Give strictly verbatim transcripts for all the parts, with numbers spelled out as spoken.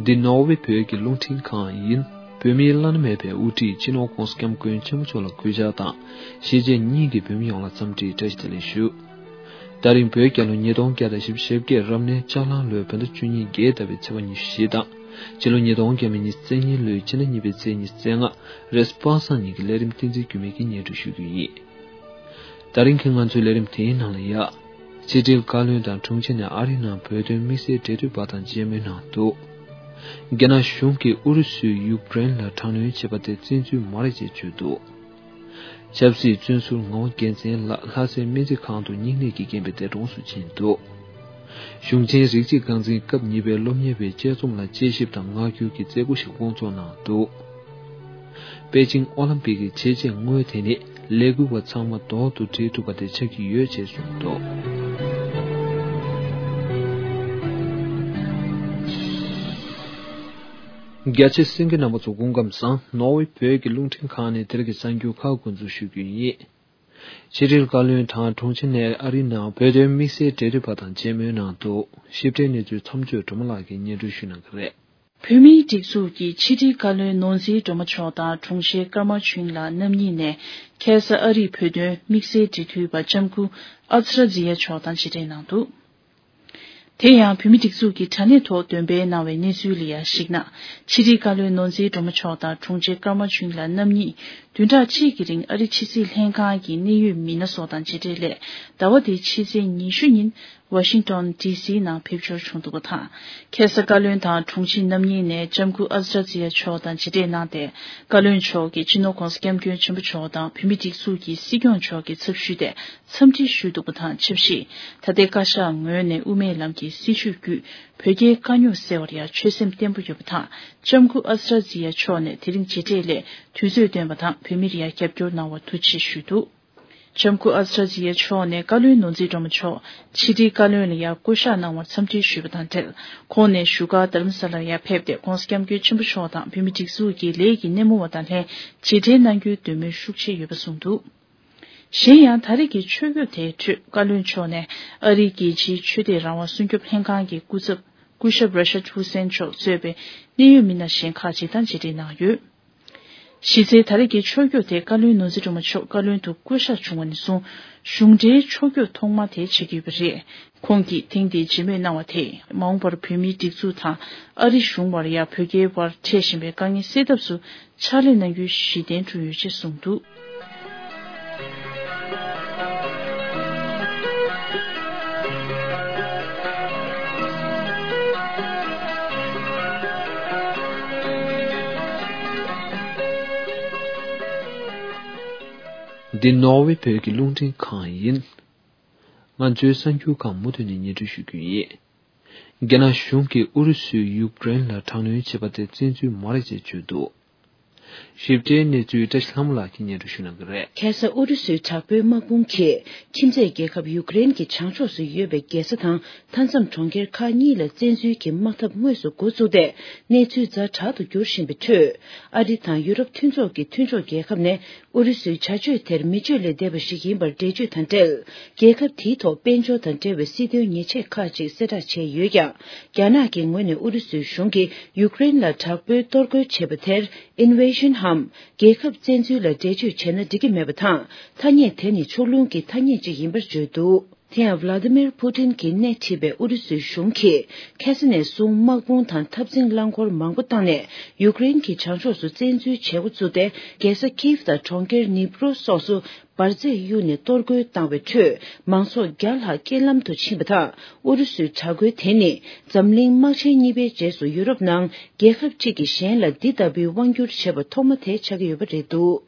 འདི་ནོར་ཝེ་བོད་ཀྱི་རླུང་འཕྲིན་ཁང་ཡིན། བོད་མིའི་བླ་ན་མེད་པའི་དབུ་ཁྲིད་སྤྱི་ནོར་༧གོང་ས་༧སྐྱབས་མགོན་ཆེན་པོ་མཆོག་ལ་གུས་ཕྱག་དང་། ཞེ་བཅད་སྙིང་གི་བོད་མི་ཡོངས་ལ་འཚམས་འདྲིའི་བཀྲ་ཤིས་བདེ་ལེགས་ཞུ། ད་རིང་བོད་རྒྱལ་ལོ་ཉིས་སྟོང་བརྒྱ་དང་བཞི་བཅུ་ཞེ་བརྒྱད་རབ་གནས་ལྕགས་གླང་ལོའི་བོད་ཟླ་བཅུ་གཉིས་བརྒྱད་ཟླ་བའི་ཚེས་པ་ཉི་ཤུ་བཞི་དང་། ཕྱི་ལོ་ཉིས་སྟོང་བརྒྱ་མེད་ཉི་ཤུ་རྩ་གཉིས་ལོའི་ཕྱི་ཟླ་གཉིས་པའི་ཚེས་ཉི་ཤུ་རྩ་ལྔ་རེས་པ་སངས་ཉིན་གྱི་ལས་རིམ་བསྟན་འཛིན་འགྱུར་མེད་ཀྱིས་སྙན་སྒྲོན་ཞུ་རྒྱུ་ཡིན། ད་རིང་གི་ང་ཚོའི་ལས་རིམ་དེའི་ནང་ལ་ཡ། ཕྱི་དྲིལ་བཀའ་བློན་དང་དྲུང་ཆེ་ནས་ཨ་རིའི་ནང་བོད་དོན་དམིགས་བསལ་འབྲེལ་མཐུད་པ་དང་མཇལ་མོལ་གནང་འདུག་རྒྱ་ནག་གཞུང་གིས་ཨུ་རུ་སུས་ཡུཀ་རེན་ལ་དྲག་གནོན་བྱས་པ་དེ་བཙན་འཛུལ་མ་རེད་ཅེས་བརྗོད་འདུག་ཆབ་སྲིད་བཙོན་ཟུར་ངག་དབང་རྒྱལ་མཚན་ལགས་ལྷ་སའི་སྨན་རྩིས་ཁང་དུ་སྙིང་ནད་ཀྱིས་རྐྱེན་པས་འདས་གྲོངས་སུ་ཕྱིན་འདུག་གཞུང་ཆེན་རིགས་གཅིག་རྐང་འཛིན་སྐབས་གཉིས་པའི་སློབ་གཉེར་བའི་དཔྱད་རྩོམ་ལ་དཔྱད་ཞིབ་དང་ངག་བསྒྱུར་གྱི་མཛད་སྒོ་ཞིག་སྐོང་ཚོགས་གནང་འདུག་པེ་ཅིང་ཨོ་ལམ་པིག་གི་བྱས་རྗེས་དངོས་དེ་ནི་ལས་འགུལ་བ་ཚང་མ་ལྡོག་ཏུ་སྒྲིལ་ཐུབ་པ་དེ་ཆགས་ཀྱི་ཡོད་ཅེས་གསུངས་འདུག་རྒྱ་ཆེ་གསན་མཁན་རྣམ་པ་ཚོ་སྐུ་ཁམས་བཟང་། ནོར་ཝེ་བོད་ཀྱི་རླུང་འཕྲིན་ཁང་ནས་དེ་རིང་གི་གསར་འགྱུར་ཁག་འགོ་འཛུགས་ཞུ་རྒྱུ་ཡིན། ཕྱི་དྲིལ་བཀའ་བློན་དང་དྲུང་ཆེ་ནས་ཨ་རིའི་ནང་བོད་དོན་དམིགས་བསལ་འབྲེལ་མཐུད་པ་དང་མཇལ་མོལ་གནང་འདུག་ཞིབ་ཕྲའི་གནས་ཚུལ་མཚམས་གཅོད་སྒྲོལ་མ་ལགས་ཀྱིས་སྙན་སྒྲོན་ཞུ་གནང་གི་རེད། བོད་མིའི་སྒྲིག་འཛུགས་ཀྱི་ཕྱི་དྲིལ་བཀའ་བློན་ནོར་འཛིན་སྒྲོལ་མ་མཆོག་དང་དྲུང་ཆེ་ཀརྨ་ཆོས་དབྱིངས་ལགས་རྣམ་གཉིས་ནས་ཁ་ས་ཨ་རིའི་བོད་དོན་དམིགས་བསལ་འབྲེལ་མཐུད་པ་ལྕམ་སྐུ་ཨ་ཛི་ར་ཛི་ཡ་མཆོག་དང་མཇལ་འཕྲད་གནང་འདུག་དེ་ཡང་བོད་མི་སྒྲིག་འཛུགས་ཀྱི་དྲ་གནས་ཐོག་འདོན་སྤེལ་གནང་བའི་གནས་ཚུལ་ལ་ཡང་གཞིགས་ན། ཕྱི་དྲིལ་བཀའ་བློན་ནོར་འཛིན་སྒྲོལ་མ་མཆོག་དང་དྲུང་ཆེ་ཀརྨ་ཆོས་དབྱིངས་ལགས་རྣམ་གཉིས་བདུན་ཕྲག་གཅིག་གི་རིང་ཨ་རི་ཕྱི་སྲིད་ལྷན་ཁང་གི་གནད་ཡོད་མི་སྣ་སོགས་དང་མཇལ་འཕྲད་སླད། ཟླ་བ་འདིའི་ཕྱི་ཚེས་ཉི་ཤུ་ཉིན་ཝ་ཤིང་ཏོན་ཌི་སི་ནང་ཕེབས་འབྱོར་བྱུང་འདུག་པ་དང་། ཁ་ས་བཀའ་བློན་དང་དྲུང་ཆེ་རྣམ་གཉིས་ནས་ལྕམ་སྐུ་ཨ་ཛི་ར་ཛི་ཡ་མཆོག་དང་མཇལ་འཕྲད་གནང་སྟེ། བཀའ་བློན་མཆོག་གིས་སྤྱི་ནོར་༧གོང་ས་༧སྐྱབས་མགོན་ཆེན་པོ་མཆོག་དང་བོད་མི་སྒྲིག་འཛུགས་ཀྱི་སྲིད་སྐྱོང་མཆོག་གི་ཚབ་ཞུས་ཏེ་འཚམས་འདྲི་ཞུས་འདུག་པ་དང་ཆབས་ཅིག་ད་ལྟའི་བཀའ་ཤག་ངོས་ནས་དབུ་མའི་ལམ་གྱི་སྲིད་བྱུས་བརྒྱུད་བོད་རྒྱའི་དཀའ་རྙོག་སེལ་བར་ཡང་ཆོད་སེམས་བརྟན་པོ་ཡོད་པ་དང་། ལྕམ་སྐུ་ཨ་ཛི་ར་ཛི་ཡ་མཆོག་ནས་དེ་རིང་མཇལ་འཕྲད་སླད་དུས་ཚོད་བཏོན་པ་དང་བོད་མིར་ཡང་རྒྱབ་སྐྱོར་གནང་བར་ཐུགས་རྗེ་ཆེ་ཞུས་འདུག་ལྕམ་སྐུ་ཨ་ཛི་ར་ཛི་ཡ་མཆོག་ནས་བཀའ་བློན་ནོར་འཛིན་སྒྲོལ་མ་མཆོག་ཕྱི་དྲིལ་བཀའ་བློན་ལ་ཡང་སྐུ་ཞབས་གནང་བར་འཚམས་འདྲི་ཞུས་པ་དང་འབྲེལ། ཁོང་ནས་བཞུགས་སྒར་རྡ་རམ་ས་ལར་ཡང་ཕེབས་ཏེ་༧གོང་ས་༧སྐྱབས་མགོན་ཆེན་པོ་མཆོག་དང་བོད་མི་སྒྲིག་འཛུགས་ཀྱི་ལས་ཀྱི་སྣེ་མོ་བ་དང་ལྷན་མཇལ་འཕྲད་གནང་རྒྱུའི་འདོད་མོས་ཤུགས་ཆེ་ཡོད་པ་གསུངས་འདུག་གཞན་ཡང་ད་རེས་ཀྱི་ཆོས་བརྒྱུད་དེའི་ཁྲོད་བཀའ་བློན་མཆོག་ནས་ཨ་རིའི་རྒྱལ་སྤྱིའི་ཆོས་དད་རང་དབང་སྲུང་སྐྱོབ་ལྷན་ཁང་གི་སྐུ་ཚབ་སྐུ་ཞབས་ར་ཤད་ཧུ་སེན་མཆོག་གཙོས་པའི་གནད་ཡོད་མི་སྣ་གཞན་ཁག་ཅིག་དང་མཇལ་འཕྲད་གནང་ཡོད། གཞི་རྩའི་ད་རེས་ཀྱི་ཆོས་བརྒྱུད་དེ་བཀའ་བློན་ནོར་འཛིན་སྒྲོལ་མ་མཆོག་བཀའ་བློན་དུ་བསྐོ་གཞག་བྱུང་བ་ནས་བཟུང་གཞུང་འབྲེལ་ཆོས་བརྒྱུད་ཐོག་མ་དེ་ཆགས་ཀྱི་ཡོད་པ་རེད། ཁོང་གིས་ཐེངས་འདིའི་མཇལ་མོལ་གནང་བ་དེས་མ་འོངས་པར་བོད་མིའི་སྒྲིག་འཛུགས་དང་ཨ་རི་གཞུང་བར་ཡང་བོད་རྒྱའི་བར་འཕྲད་བཞིན་པའི་དཀའ་ངལ་སེལ་ཐབས་སུ་ཕྱག་ལས་གནང་རྒྱུའི་གཞི་རྟེན་བསྐྲུན་ཡོད་ཅེས་གསུངས་འདུག་འདི་ནོར་ཝེ་བོད་ཀྱི་རླུང་འཕྲིན་ཁང་ཡིན། ང་ཚོའི་གསར་འགྱུར་ཁང་མུ་མཐུད་ནས་སྙན་སྒྲོན་ཞུ་རྒྱུ་ཡིན། རྒྱ་ནག་གཞུང་གིས་ཨུ་རུ་སུས་ཡུཀ་རེན་ལ་དྲག་གནོན་བྱས་པ་དེ་བཙན་འཛུལ་མ་རེད་ཅེས་བརྗོད་འདུག་ཞིབ་ཕྲའི་གནས་ཚུལ་བཀྲ་ཤིས་ལྷ་མོ་ལགས་ཀྱིས་སྙན་སྒྲོན་ཞུ་གནང་གི་རེད། ཁ་ས་ཨུ་རུ་སུའི་དྲག་པོའི་དམག་དཔུང་གིས་ཁྱིམ་མཚེས་རྒྱལ་ཁབ་ཡུཀ་རེན་གྱི་བྱང་ཕྱོགས་སུ་ཡོད་པའི་རྒྱལ་ས་དང་མཐའ་མཚམས་གྲོང་ཁྱེར་ཁག་གཉིས་ལ་བཙན་འཛུལ་གྱི་དམག་འཐབ་དངོས་སུ་འགོ་བཙུགས་ཏེ་གནས་ཚུལ་ཛ་དྲག་ཏུ་འགྱུར་བཞིན་པའི་ཁྲོད། ཨ་རི་དང་ཡུ་རོབ་མཐུན་ཚོགས་ཀྱི་མཐུན་ཕྱོགས་རྒྱལ་ཁབ་ནས་ཨུ་རུ་སུའི་བྱ་སྤྱོད་དེར་མི་སྤྱོད་ལས་འདས་པ་ཞིག་ཡིན་པར་འགྲེལ་བརྗོད་དང་འབྲེལ། རྒྱལ་ཁབ་དེའི་ཐོག་དཔལ་འབྱོར་དང་འབྲེལ་བའི་སྲིད་དོན་ཉེས་ཆད་ཁག་ཅིག་གསལ་བསྒྲགས་བྱས་ཡོད་ཀྱང་། རྒྱ་ནག་གི་ངོས་ནས་ཨུ་རུ་སུའི་གཞུང་གིས་ཡུཀ་རེན་ལ་དྲག་པོའི་གཏོར་རྒོལ་བྱས་པ་དེར་ཨིན་ཝེ་ཤན་འམ། རྒྱལ་ཁབ་བཙན་འཛུལ་ལ་འགྲེལ་བརྗོད་བྱས་ན་འགྲིག་གི་མེད་པ་དང་། ཐ་སྙད་དེ་ནི་ཕྱོགས་ལྷུང་གི་ཐ་སྙད་ཅིག་ཡིན་པར་བརྗོད་འདུག་དེ་ཡང་ཝ་ལ་ཏི་མིར་ཕུ་ཏིན་གྱིས་སྣེ་ཁྲིད་པའི་ཨུ་རུ་སུའི་གཞུང་གིས་ཁ་ས་ནས་བཟུང་དམག་དཔུང་དང་འཐབ་འཛིང་རླངས་འཁོར་མང་པོ་བཏང་ནས་ཡུཀ་རེན་གྱི་བྱང་ཕྱོགས་སུ་བཙན་འཛུལ་བྱེད་འགོ་བཙུགས་ཏེ། རྒྱལ་ས་ཁིབ་དང་གྲོང་ཁྱེར་ནི་པྲོ་སོགས་སུ་འབར་རྫས་གཡུགས་ནས་གཏོར་རྒོལ་བཏང་བའི་ཁྲོད། མང་ཚོགས་བརྒྱ་ལྷག་རྐྱེན་ལམ་དུ་ཕྱིན་པ་དང་། ཨུ་རུ་སུའི་དྲག་རྒོལ་དེ་ནི་འཛམ་གླིང་དམག་ཆེན་གཉིས་པའི་རྗེས་སུ་ཡུ་རོབ་ནང་རྒྱལ་ཁབ་གཅིག་གིས་གཞན་ལ་འདི་ལྟ་བུའི་དབང་བསྒྱུར་བྱས་པ་ཐོག་མ་དེ་ཆགས་ཀྱི་ཡོད་པ་རེད་འདུག་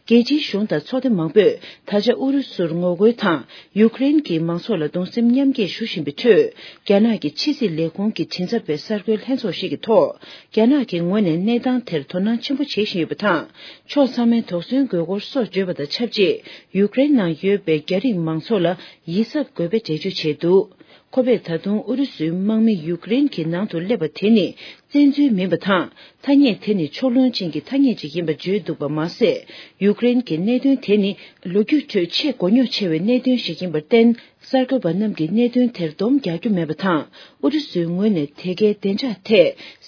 རྒྱལ་སྤྱིའི་གཞུང་དང་ཚོགས་སྡེ་མང་པོས་ད་ཆ་ཨུ་རུ་སུར་ངོ་རྒོལ་དང་ཡུཀ་རེན་གྱི་མང་ཚོགས་ལ་གདུང་སེམས་མཉམ་སྐྱེད་ཞུ་བཞིན་པའི་ཁྲོད། རྒྱ་ནག་གི་ཕྱི་སྲིད་ལས་ཁུངས་ཀྱི་མགྲིན་ཚབ་པས་གསར་འགོད་ལྷན་ཚོགས་ཤིག་གི་ཐོག་རྒྱ་ནག་གི་ངོས་ནས་གནས་སྟངས་དེར་དོ་སྣང་ཆེན་པོ་བྱེད་བཞིན་ཡོད་པ་དང་། ཕྱོགས་ཚང་མས་དོགས་ཟོན་དགོས་སྐོར་སོགས་བརྗོད་པ་དང་ཆབས་ཅིག་ཡུཀ་རེན་ནང་ཡོད་པའི་རྒྱ་རིགས་མང་ཚོགས་ལ་ཡིད་གཟབ་དགོས་པའི་འགྲེལ་བརྗོད་བྱས་འདུག་ཁོ་པས་ད་དུང་ཨུ་རུ་སུའི་དམག་མི་ཡུཀ་རེན་གྱི་ནང་དུ་སླེབས་པ་དེ་ནི་བཙན་འཛུལ་མིན་པ་དང་། ཐ་སྙད་དེ་ནི་ཕྱོགས་ལྷུང་ཅན་གྱི་ཐ་སྙད་ཅིག་ཡིན་པ་བརྗོད་འདུག་པ་མ་ཟད། ཡུཀ་རེན་གྱི་གནད་དོན་དེ་ནི་ལོ་རྒྱུས་ཁྲོད་ཆེས་མགོ་རྙོག་ཆེ་བའི་གནད་དོན་ཞིག་ཡིན་པར་བརྟེན། གསར་འགོད་པ་རྣམས་ཀྱིས་གནད་དོན་དེར་སྡོམ་རྒྱག་རྒྱུ་མེད་པ་དང་། ཨུ་རུ་སུའི་ངོས་ནས་དེ་གའི་བདེ་འཇགས་ཐད་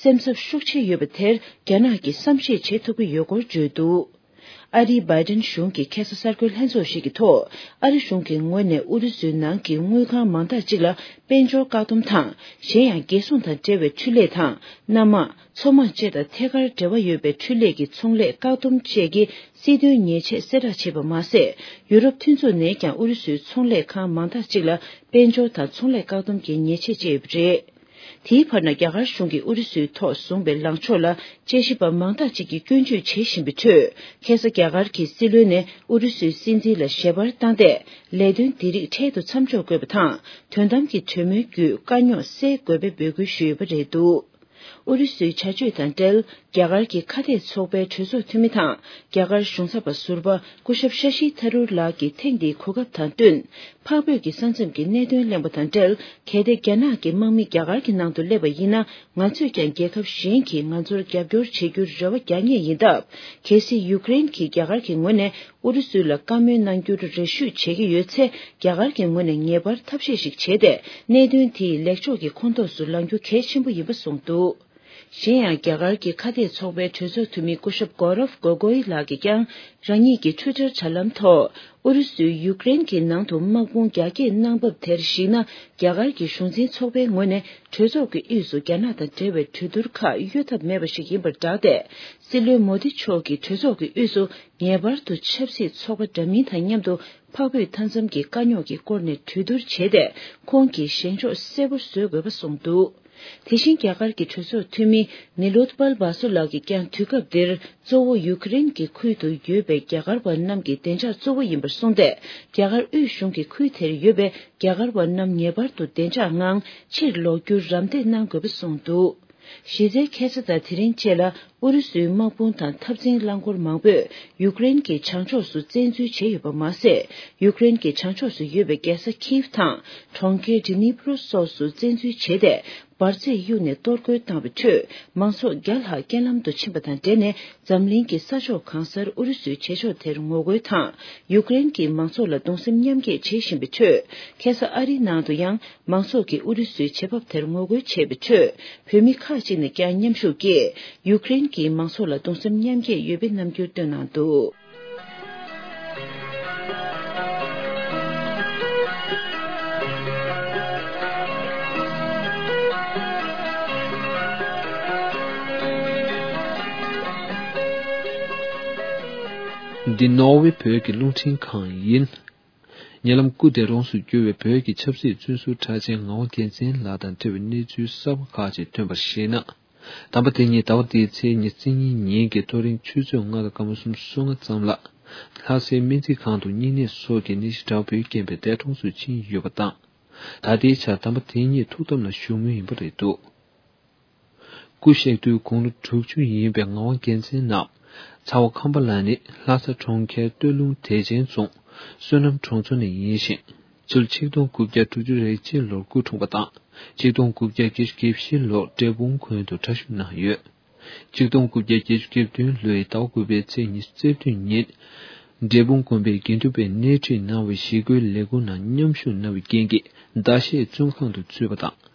སེམས་འཚབ་ཤུགས་ཆེ་ཡོད་པ་དེར་རྒྱ་ནག་གིས་བསམ་ཤེས་བྱེད་ཐུབ་ཀྱི་ཡོད་སྐོར་བརྗོད་འདུག་ཨ་རིའི་བྷའི་ཏན་གཞུང་གི་ཁ་སང་གསར་འགོད་ལྷན་ཚོགས་ཤིག་གི་ཐོག་ཨ་རི་གཞུང་གི་ངོས་ནས་ཨུ་རུ་སུའི་ནང་གི་དངུལ་ཁང་མང་དག་ཅིག་ལ་དཔལ་འབྱོར་བཀག་སྡོམ་དང་། གཞན་ཡང་རྒྱལ་སྲུང་དང་འབྲེལ་བའི་འཕྲུལ་ལས་དང་། གནམ་དམག་མཚོ་དམག་བཅས་དང་ཐད་ཀར་འབྲེལ་བ་ཡོད་པའི་འཕྲུལ་ལས་ཀྱི་ཚོང་ལས་བཀག་སྡོམ་བཅས་ཀྱི་སྲིད་དོན་ཉེས་ཆད་གསལ་བསྒྲགས་བྱས་པ་མ་ཟད། ཡུ་རོབ་མཐུན་ཚོགས་ནས་ཀྱང་ཨུ་རུ་སུའི་ཚོང་ལས་ཁང་མང་དག་ཅིག་ལ་དཔལ་འབྱོར་དང་ཚོང་ལས་བཀག་སྡོམ་གྱི་ཉེས་ཆད་བཅད་ཡོད་པ་རེད། དེའི་བར་ན། རྒྱ་གར་གཞུང་གིས་ཨུ་རུ་སུའི་ཐོག་བཟུང་བའི་ལངས་ཕྱོགས་ལ་དཔྱད་ཞིབ་པ་མང་དག་ཅིག་གིས་སྐྱོན་བརྗོད་བྱེད་བཞིན་པའི་ཁྲོད། ཁ་སང་རྒྱ་གར་གྱི་སྲིད་བློན་ནས་ཨུ་རུ་སུའི་སྲིད་འཛིན་ལ་ཞལ་པར་བཏང་སྟེ། ལས་དོན་འདི་རིགས་འཕྲལ་དུ་མཚམས་འཇོག་དགོས་པ་དང་། དོན་དམ་གྱི་གྲོས་མོལ་བརྒྱུད་དཀའ་རྙོག་སེལ་དགོས་པའི་འབོད་སྐུལ་ཞུས་ཡོད་པ་རེད་འདུག་ཨུ་རུ་སུའི་བྱ་སྤྱོད་དང་འབྲེལ། རྒྱ་གར་གྱི་ཁ་གཏད་ཚོགས་པའི་གྲོས་ཚོགས་འཐུས་མི་དང་། རྒྱ་གར་གཞུང་ཚབ་པ་ཟུར་པ་སྐུ་ཞབས་ཤ་ཤི་ཐ་རུར་ལགས་ཀྱིས་ཐེངས་འདིའི་གོ་སྐབས་དང་བསྟུན། འཕགས་བོད་ཀྱི་ས་མཚམས་ཀྱི་གནད་དོན་གླེང་བ་དང་འབྲེལ། གལ་ཏེ་རྒྱ་ནག་གི་དམག་མི་རྒྱ་གར་གྱི་ནང་དུ་སླེབས་པ་ཡིན་ན། ང་ཚོས་ཀྱང་རྒྱལ་ཁབ་གཞན་གྱིས་ང་ཚོར་རྒྱབ་སྐྱོར་བྱེད་རྒྱུར་རེ་བ་རྒྱག་ངེས་ཡིན་སྟབས། གལ་སྲིད་ཡུཀ་རེན་གྱིས་རྒྱ་གར་གྱི་ངོས་ནས་ཨུ་རུ་སུ་ལ་བཀའ་མོལ་གནང་རྒྱུར་རེ་ཞུ་བྱེད་ཀྱི་ཡོད་ཚེ། རྒྱ་གར་གྱི་ངོས་ནས་ངེས་པར་ཐབས་ཤེས་ཤིག་བྱས་ཏེ། གནད་དོན་དེ་ལེགས་ཕྱོགས་ཀྱི་ཁོངས་གཏོགས་སུ་ལངས་རྒྱུ་གལ་ཆེན་པོ་ཡིན་པ་གསུངས་འདུག་གཞན་ཡང་། རྒྱ་གར་གྱི་ཁ་གཏད་ཚོགས་པའི་གྲོས་ཚོགས་འཐུས་མི་སྐུ་ཞབས་གོ་རབ་གོ་གོའི་ལགས་ཀྱིས་ཀྱང་། རང་ཉིད་ཀྱི་ཊུའི་ཊར་དྲ་ལམ་ཐོག་ཨུ་རུ་སུས་ཡུཀ་རེན་གྱི་ནང་དུ་དམག་དཔུང་རྒྱ་སྐྱེད་གནང་བབ་དེར་གཞིགས་ན། རྒྱ་གར་གྱི་གཞུང་འཛིན་ཚོགས་པའི་ངོས་ནས་གྲོས་ཚོགས་ཀྱི་དབུས་སུ་རྒྱ་ནག་དང་འབྲེལ་བའི་གྲོས་བསྡུར་ཁག་གཡོལ་ཐབས་མེད་པ་ཞིག་ཡིན་པར་བསྒྲགས་ཏེ། སྲིད་བློན་མོ་དི་མཆོག་གིས་གྲོས་ཚོགས་ཀྱི་དབུས་སུ་ངེས་པར་དུ་ཆབ་སྲིད་ཚོགས་པ་འདྲ་མིན་དང་མཉམ་དུ། འཕགས་བོད་མཐའ་མཚམས་ཀྱི་དཀའ་རྙོག་གི་སྐོར་ནས་གྲོས་བསྡུར་བྱས་ཏེ། ཁོང་གིས་བཞེངས་ཕྱོགས་གསལ་པོ་བཟོ་དགོས་པ་གསུངས་འདུག་དེ་བཞིན། རྒྱ་གར་གྱི་གྲོས་ཚོགས་འཐུས་མི་ནི་ལོད་པལ་བྷ་སུ་ལགས་ཀྱིས་ཀྱང་དུས་སྐབས་འདིར་གཙོ་བོ་ཡུ་ཀེ་རེན་གྱི་ཁུལ་དུ་ཡོད་པའི་རྒྱ་གར་བ་རྣམས་ཀྱི་བདེ་འཇགས་གཙོ་བོ་ཡིན་པར་གསུངས་ཏེ། རྒྱ་གར་དབུས་གཞུང་གིས་ཁུལ་དེར་ཡོད་པའི་རྒྱ་གར་བ་རྣམས་ངེས་པར་དུ་བདེ་འཇགས་ངང་ཕྱིར་ལོག་རྒྱུར་རམ་འདེགས་གནང་དགོས་པ་གསུངས་འདུག་གཞི་རྩའི་ཁ་སང་དང་དེ་རིང་བཅས་ལ་ཨུ་རུ་སུའི་དམག་དཔུང་དང་འཐབ་འཛིང་རླངས་འཁོར་མང་པོས་ཡུཀ་རེན་གྱི་བྱང་ཕྱོགས་སུ་བཙན་འཛུལ་བྱས་ཡོད་པ་མ་ཟད། ཡུཀ་རེན་གྱི་བྱང་ཕྱོགས་སུ་ཡོད་པའི་རྒྱལ་ས་ཁིབ་དང་གྲོང་ཁྱེར་ཌི་ནི་པྲོ་སོགས་སུ་བཙན་འཛུལ་བྱས་ཏེ། འབར་རྫས་གཡུགས་ནས་གཏོར་རྒོལ་བཏང་བའི་ཁྲོད། མང་ཚོགས་བརྒྱ་ལྷག་རྐྱེན་ལམ་དུ་ཕྱིན་པ་དང་འབྲེལ་ནས། འཛམ་གླིང་གི་ས་ཕྱོགས་གང་སར་ཨུ་རུ་སུའི་བྱེད་ཕྱོགས་དེར་ངོ་རྒོལ་དང་། ཡུཀ་རེན་གྱི་མང་ཚོགས་ལ་གདུང་སེམས་མཉམ་སྐྱེད་བྱེད་བཞིན་པའི་ཁྲོད། ཁ་སང་ཨ་རིའི་ནང་དུ་ཡང་མང་ཚོགས་ཀྱིས་ཨུ་རུ་སུའི་བྱེད་བབ་དེར་ངོ་རྒོལ་བྱས་པའི་ཁྲོད། བོད་མི་ཁག་ཅིག་ནས་ཀྱང་མཉམ་ཞུགས་ཀྱིས་ཡུཀ་རེན་གྱི་མང་ཚོགས་ལ་གདུང་སེམས་མཉམ་སྐྱེད་ཡོད་པའི་རྣམ་འགྱུར་བཏོན་གནང་འདུག་འདི་ནོར་ཝེ་བོད་ཀྱི་རླུང་འཕྲིན་ཁང་ཡིན། ཉེ་ལམ་སྐུ་འདས་གྲོངས་སུ་གྱུར་བའི་བོད་ཀྱི་ཆབ་སྲིད་བཙོན་ཟུར་གྲགས་ཅན་ངག་དབང་རྒྱལ་མཚན་ལགས་དང་འབྲེལ་བའི་གནས་ཚུལ་གསར་པ་ཁག་ཅིག་ཐོན་པར་གཞིགས་ན། དམ་པ་དེ་ཉིད་ཟླ་བ་འདིའི་ཚེས་ཉི་ཤུ་རྩ་གཉིས་ཉིན་གྱི་ཐོ་རེངས་ཆུ་ཚོད་ལྔ་དང་སྐར་མ་སུམ་ཅུ་སོ་ལྔ་ཙམ་ལ། ལྷ་སའི་སྨན་རྩིས་ཁང་དུ་སྨྱུང་གནས་སོགས་ཀྱི་ནད་གཞི་འདྲ་པོའི་རྐྱེན་པས་འདས་གྲོངས་སུ་ཕྱིན་ཡོད་པ་དང་། ད་ལྟའི་ཆར་དམ་པ་དེ་ཉིད་ཐུགས་དམ་ལ་བཞུགས་མུས་ཡིན་པ་རེད་འདུག་སྐུ་གཤེགས་དུས་དགུང་ལོ་དྲུག་ཅུ་ཡིན་པའི་ངག་དབང་རྒྱལ་མཚན་རྣམས་ཚ་བ་ཁམས་པ་ལ་ནི་ལྷ་ས་གྲོང་ཁྱེར་སྟོད་ལུང་བདེ་ཆེན་རྫོང་བསོད་ནམས་གྲོང་ཚོ་ནས་ཡིན་ཞིང་། ཕྱི་ལོ་ཆིག་སྟོང་དགུ་བརྒྱ་དྲུག་ཅུ་རེ་གཅིག་ལོར་སྐུ་འཁྲུངས་པ་དང་། ཆིག་སྟོང་དགུ་བརྒྱ་བརྒྱད་ཅུ་གྱ་བཞི་ལོར་འབྲས་སྤུངས་དགོན་དུ་གྲྭ་ཞུགས་གནང་ཡོད། ཆིག་སྟོང་དགུ་བརྒྱ་བརྒྱད་ཅུ་གྱ་བདུན་ལོའི་ཟླ་བ་དགུ་པའི་ཚེས་ཉི་ཤུ་རྩ་བདུན་ཉིན། འབྲས་སྤུངས་དགོན་པའི་དགེ་འདུན་པས་སྣེ་ཁྲིད་གནང་བའི་ཞི་རྒོལ་ལས་འགུལ་ནང་མཉམ་ཞུགས་གནང་བའི་རྐྱེན་གྱིས་ཟླ་ཤས་བཙོན་ཁང་དུ་ཚུད་པ་དང་།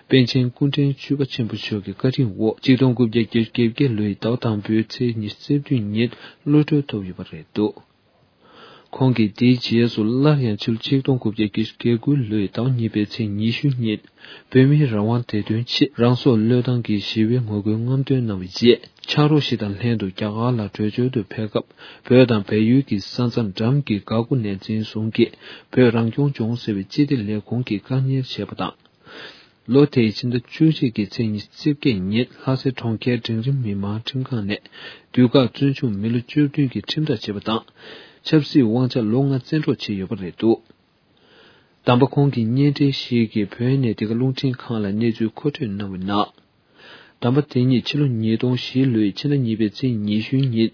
པཎ་ཆེན་སྐུ་ཕྲེང་བཅུ་པ་ཆེན་པོ་མཆོག་གི་བཀའ་དྲིན་འོག་ཆིག་སྟོང་དགུ་བརྒྱ་བརྒྱད་ཅུ་གྱ་བརྒྱད་ལོའི་ཟླ་བ་དང་པོའི་ཚེས་ཉི་ཤུ་རྩ་བདུན་ཉིན་གློད་གྲོལ་ཐོབ་ཡོད་པ་རེད་འདུག་ཁོང་གིས་དེའི་རྗེས་སུ་སླར་ཡང་ཕྱི་ལོ་ཆིག་སྟོང་དགུ་བརྒྱ་བརྒྱད་ཅུ་གྱ་དགུ་ལོའི་ཟླ་བ་གཉིས་པའི་ཚེས་ཉི་ཤུ་ཉིན། བོད་མིའི་རང་དབང་བདེ་དོན་ཆེད་རང་སྲོག་བློས་བཏང་གིས་ཞི་བའི་ངོ་རྒོལ་རྔམ་སྟོན་གནང་བའི་རྗེས། ཕྱག་རོགས་ཤིག་དང་ལྷན་དུ་རྒྱ་གར་ལ་བྲོས་བྱོལ་དུ་ཕེབས་སྐབས། བོད་དང་བལ་ཡུལ་གྱི་ས་མཚམས་འགྲམ་གྱི་འགག་སྒོ་ནས་འཛིན་བཟུང་གིས་བོད་རང་སྐྱོང་ལྗོངས་ཟེར་བའི་སྤྱི་བདེ་ལས་ཁུངས་ཀྱིས་བཀག་ཉར་བྱས་པ་དང་། ལོ་དེའི་ཕྱི་ཟླ་བཅུ་གཅིག་གི་ཚེས་ཉི་ཤུ་རྩ་བརྒྱད་ཉིན་ལྷ་སའི་གྲོང་ཁྱེར་འབྲིང་རིམ་མི་མང་ཁྲིམས་ཁང་ནས་དུས་བཀག་བཙོན་འཇུག་མི་ལོ་བཅུ་བདུན་གྱི་ཁྲིམས་ཐག་བཅད་པ་དང་། ཆབ་སྲིད་དབང་ཆ་ལོ་ལྔ་བཙན་འཕྲོག་བྱས་ཡོད་པ་རེད་འདུག་དམ་པ་ཁོང་གི་བརྙན་འཕྲིན་ཞིག་གིས་བོད་ནས་འདི་ག་རླུང་འཕྲིན་ཁང་ལ་གནས་ཚུལ་མཁོ་སྤྲོད་གནང་བའི་ནང་། དམ་པ་དེ་ཉིད་ཕྱི་ལོ་ཉིས་སྟོང་བཞི་ལོའི་ཕྱི་ཟླ་གཉིས་པའི་ཚེས་ཉི་ཤུ་ཉིན་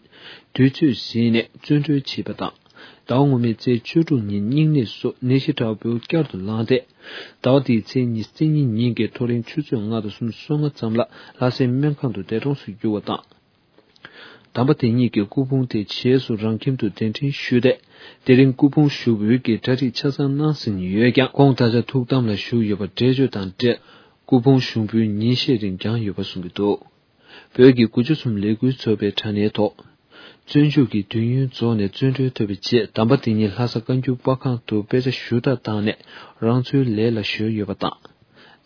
དུས་ཚོད་ཟིན་ནས་བཙོན་གྲོལ་བྱས་པ་དང་། ཟླ་བ་སྔོན་མའི་ཚེས་བཅུ་དྲུག་ཉིན་སྨྱུང་གནས་སུ་ནད་གཞི་འདྲ་པོ་བསྐྱར་དུ་ལངས་ཏེ། ཟླ་བ་འདིའི་ཚེས་ཉི་ཤུ་རྩ་གཉིས་ཉིན་གྱི་ཐོ་རེངས་ཆུ་ཚོད་ལྔ་དང་སུམ་ཅུ་སོ་ལྔ་ཙམ་ལ་ལྷ་སའི་སྨན་ཁང་དུ་འདས་གྲོངས་སུ་གྱུར་བ་དང་། དམ་པ་དེ་ཉིད་ཀྱི་སྐུ་ཕུང་དེ་རྗེས་སུ་རང་ཁྱིམ་དུ་གདན་འདྲེན་ཞུས་ཏེ། དེ་རིང་སྐུ་ཕུང་བཞུགས་ཡུལ་གྱི་གྲ་སྒྲིག་ཆ་ཚང་གནང་ཟིན་ཡོད་ཀྱང་། ཁོང་ད་ཆ་ཐུགས་དམ་ལ་བཞུགས་ཡོད་པ་འགྲེལ་བརྗོད་དང་འབྲེལ། སྐུ་ཕུང་ཞུགས་འབུལ་ཉིན་ཤས་རིང་བསྐྱངས་ཡོད་པ་གསུངས་ཀྱི་འདུག་བོད་ཀྱི་དགུ་བཅུ་གསུམ་ལས་འགུལ་ཚོགས་པའི་དྲ་བརྙན་ཐོག་བཙོན་འཇུག་གི་དུས་ཡུན་རྫོགས་ནས་བཙོན་གྲོལ་ཐོབ་པའི་རྗེས། དམ་པ་དེ་ཉིད་ལྷ་ས་བཀའ་འགྱུར་པར་ཁང་དུ་དཔེ་ཆ་ཞུ་དག་བཏང་ནས་རང་འཚོའི་ལས་ལ་གཞོལ་ཡོད་པ་དང་།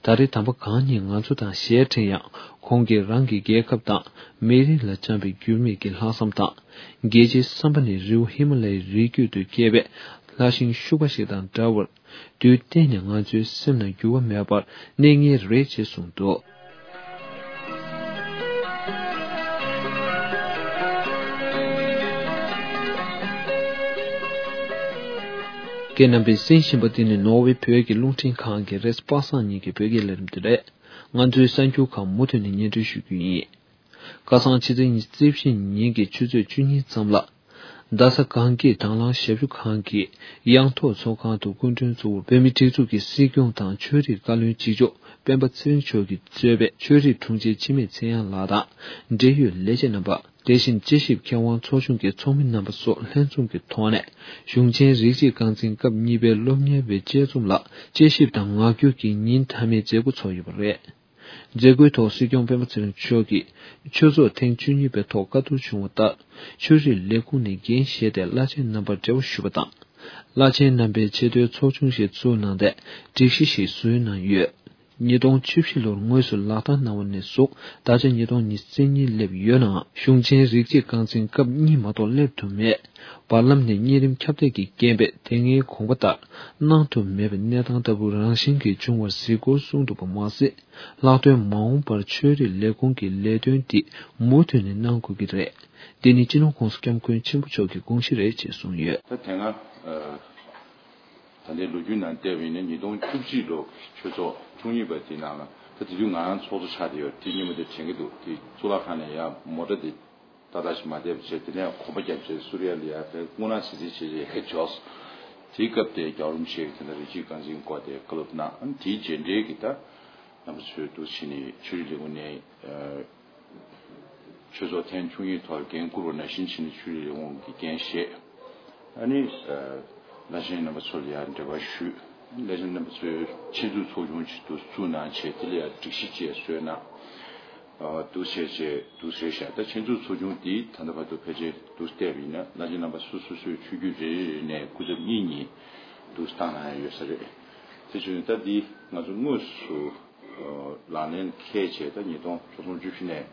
ད་རེས་དམ་པ་གང་ཉིད་ང་ཚོ་དང་ཞལ་འཕྲད་ཡང་། ཁོང་གིས་རང་གི་རྒྱལ་ཁབ་དང་མི་རིགས་ལ་བཅངས་པའི་འགྱུར་མེད་ཀྱི་ལྷག་བསམ་དང་། རྒྱལ་སྤྱིའི་བསམ་པ་ནི་རི་བོ་ཧི་མ་ལ་ཡའི་རི་རྒྱུད་དུ་སྐྱེས་པའི་ལྷ་ཤིང་ཤུག་པ་ཞིག་དང་འདྲ་བར། དུས་གཏན་ནས་ང་ཚོའི་སེམས་ནང་འགྱུར་བ་མེད་པར་གནས་ངེས་རེད་ཅེས་གསུངས་འདུག་ཁྱེད་རྣམ་པས་གསན་བཞིན་པ་འདི་ནི་ནོར་ཝེ་བོད་ཀྱི་རླུང་འཕྲིན་ཁང་གི་རེས་པ་སངས་ཉིན་གྱི་བོད་སྐད་ལས་རིམ་དེ་རེད། ང་ཚོའི་གསར་འགྱུར་ཁག་མུ་མཐུད་ནས་སྙན་སྒྲོན་ཞུ་རྒྱུ་ཡིན། ཁ་སང་ཕྱི་ཚེས་ཉི་ཤུ་རྩ་བཞི་ཉིན་གྱི་ཆུ་ཚོད་བཅུ་གཉིས་ཙམ་ལ། རྡ་ས་གངས་སྐྱིད་དྭང་བླངས་ཞབས་ཞུ་ཁང་གི་ཡང་ཐོག་ཚོགས་ཁང་དུ་སྐུ་མགྲོན་གཙོ་བོར་བོད་མིའི་སྒྲིག་འཛུགས་ཀྱི་སྲིད་སྐྱོང་དང་ཆོས་རིག་བཀའ་བློན་གཅིག་ལྕོགས་སྤེན་པ་ཚེ་རིང་མཆོག་གིས་གཙོས་པའི་ཆོས་རིག་དྲུང་ཆེ་འཆི་མེད་ཚེ་དབྱངས་ལགས་དང་འབྲེལ་ཡོད་ལས་བྱེད་རྣམ་པ། དེ་བཞིན་དཔྱད་ཞིབ་མཁས་དབང་ཚོགས་ཆུང་གི་ཚོགས་མི་རྣམ་པ་སོགས་ལྷན་འཛོམས་ཀྱི་ཐོག་ནས། གཞུང་ཆེན་རིགས་གཅིག་རྐང་འཛིན་སྐབས་གཉིས་པའི་སློབ་གཉེར་བའི་དཔྱད་རྩོམ་ལ་དཔྱད་ཞིབ་དང་ངག་སྐྱོར་གྱི་ཉིན་མཐའ་མའི་མཛད་སྒོ་ཚོགས་ཡོད་པ་རེད། མཛད་སྒོའི་ཐོག་སྲིད་སྐྱོང་སྤེན་པ་ཚེ་རིང་མཆོག་གིས་ཆོས་ཚོགས་ཐེངས་བཅུ་གཉིས་པའི་ཐོག་བཀའ་བསྡུར་བྱུང་བ་ལྟར། ཆོས་རིག་ལས་ཁུངས་ནས་འགན་བཞེས་ཏེ་བླ་ཆེན་རྣམ་པར་འབྲེལ་བ་ཞུས་པ་དང་། བླ་ཆེན་རྣམ་པས་ཆེས་མཐོའི་ཚོགས་ཆུང་ཞིག་བཙུགས་གནང་སྟེ། སྒྲིག་གཞི་ཞིག་བཟོས་གནང་ཡོད། ཉིས་སྟོང་བཅུ་བཞི་ལོར་དངོས་སུ་ལག་བསྟར་གནང་བ་ནས་བཟུང་ད་ཆ་ཉིས་སྟོང་ཉི་ཤུ་རྩ་གཉིས་སླེབས་ཡོད་ནའང་། གཞུང་ཆེན་རིགས་གཅིག་རྐང་འཛིན་སྐབས་གཉིས་མ་གཏོགས་སླེབས་ཐུབ་མེད། བར་ལམ་ནས་གཉན་རིམས་ཁྱབ་གདལ་གྱི་རྐྱེན་པས་དེ་སྔའི་དགོངས་པ་ལྟར་གནང་ཐུབ་མེད་པའི་གནས་སྟངས་ལྟ་བུ་རང་བཞིན་གྱིས་བྱུང་བར་གཟིགས་སྐོར་གསུངས་འདུག་པ་མ་ཟད། ལྷག་དོན་མ་འོངས་པར་ཆོས་རིག་ལས་ཁུངས་ཀྱི་ལས་དོན་འདི་མུ་མཐུད་ནས་གནང་དགོས་ཀྱི་རེད། འདི་ནི་སྤྱི་ནོར་༸གོང་ས་༸སྐྱབས་མགོན་ཆེན་པོ་མཆོག་གི་དགོངས་གཞི་རེད་ཅེས་གསུངས་ཡོད། ད་དེ་སྔ་ད་ལྟའི་ལོ་རྒྱུས་ནང་བལྟས་པ་ཡིན་ན། ཉིས་སྟོང་བཅུ་གཅིག་ལོ་ཆོས་ཚོགས་བཅུ་གཉིས་པ་དེའི་ནང་ལ། ད་དེ་དུས་ང་རང་ཚོགས་གཙོ་ཆགས་བསྡད་ཡོད། དེ་སྔོན་མ་དེ་དྲན་གྱི་འདུག་དེ་གཙུག་ལག་ཁང་ནས་ཡར་མོ་ཊ་དེ་ཏག་ཏག་ཞིག་མ་བསྡད་པ་བྱས། དེ་ནས་གོམ་པ་བརྒྱབ་བྱས་སུ་རི་ཡ་ལ་ཡར་ཕེབས། སྔོ་ནག་ཟིལ་ཟིལ་བྱས་བྱས་ཡར་འབྱོར། དེའི་སྐབས་དེ་རྒྱལ་བ་རིན་པོ་ཆེ་གིས་དེ་འདྲ་རིགས་གཅིག་རྐང་འཛིན་སྐོར་དེ་བཀའ་སློབ་གནང་། དེའི་རྗེས་འབྲེལ་གྱི་ད་རྣམ་པ་ཚོས་འདུག་བྱས་ནས་ཆོས་རིག་ལས་ཁུངས་ནས། ཆོས་ཚོགས་ཐེངས་བཅུ་གཉིས་ཐོག་འགན་བསྐུར་བ་ནང་བཞིན་བྱས་ནས་ཆོས་རིག་ལས་ཁུངས་ཀྱི་འགན་བཞེས། ཨ་ནི། བླ་ཆེན་རྣམ་པ་ཚོ་ལ་ཡང་འབྲེལ་བ་ཞུས། བླ་ཆེན་རྣམ་པ་ཚོས་ཆེད་འཛུགས་ཚོགས་ཆུང་ཞིག་ཏུ་བཙུགས་གནང་བྱས། དེ་ལ་ཡང་སྒྲིག་གཞི་བཅས་བཟོས་གནང་། འདུག་བྱས་བྱས་འདུག་ཟེར་བཞག་ད་ཆེད་འཛུགས་ཚོགས་ཆུང་འདི་ད་ལྟ་བར་དུ་ཕལ་ཆེར་འདུག་བལྟས་པ་ཡིན་ན། བླ་ཆེན་རྣམ་པ་སོ་སོ་སོའི་ཆོས་བརྒྱུད་རེ་རེ་ནས་སྐུ་ཚབ་གཉིས་གཉིས་འདུག་བཏང་གནང་ཡ་ཡོད་ས་རེད། དེ་བྱས་ནས་ད་འདི་ང་ཚོ་དངོས་སུ། ལག་ལེན་འཁེལ་བྱས། ད་ཉིས་སྟོང་ཆོལ་གསུམ་བཅུ་བཞི་ནས་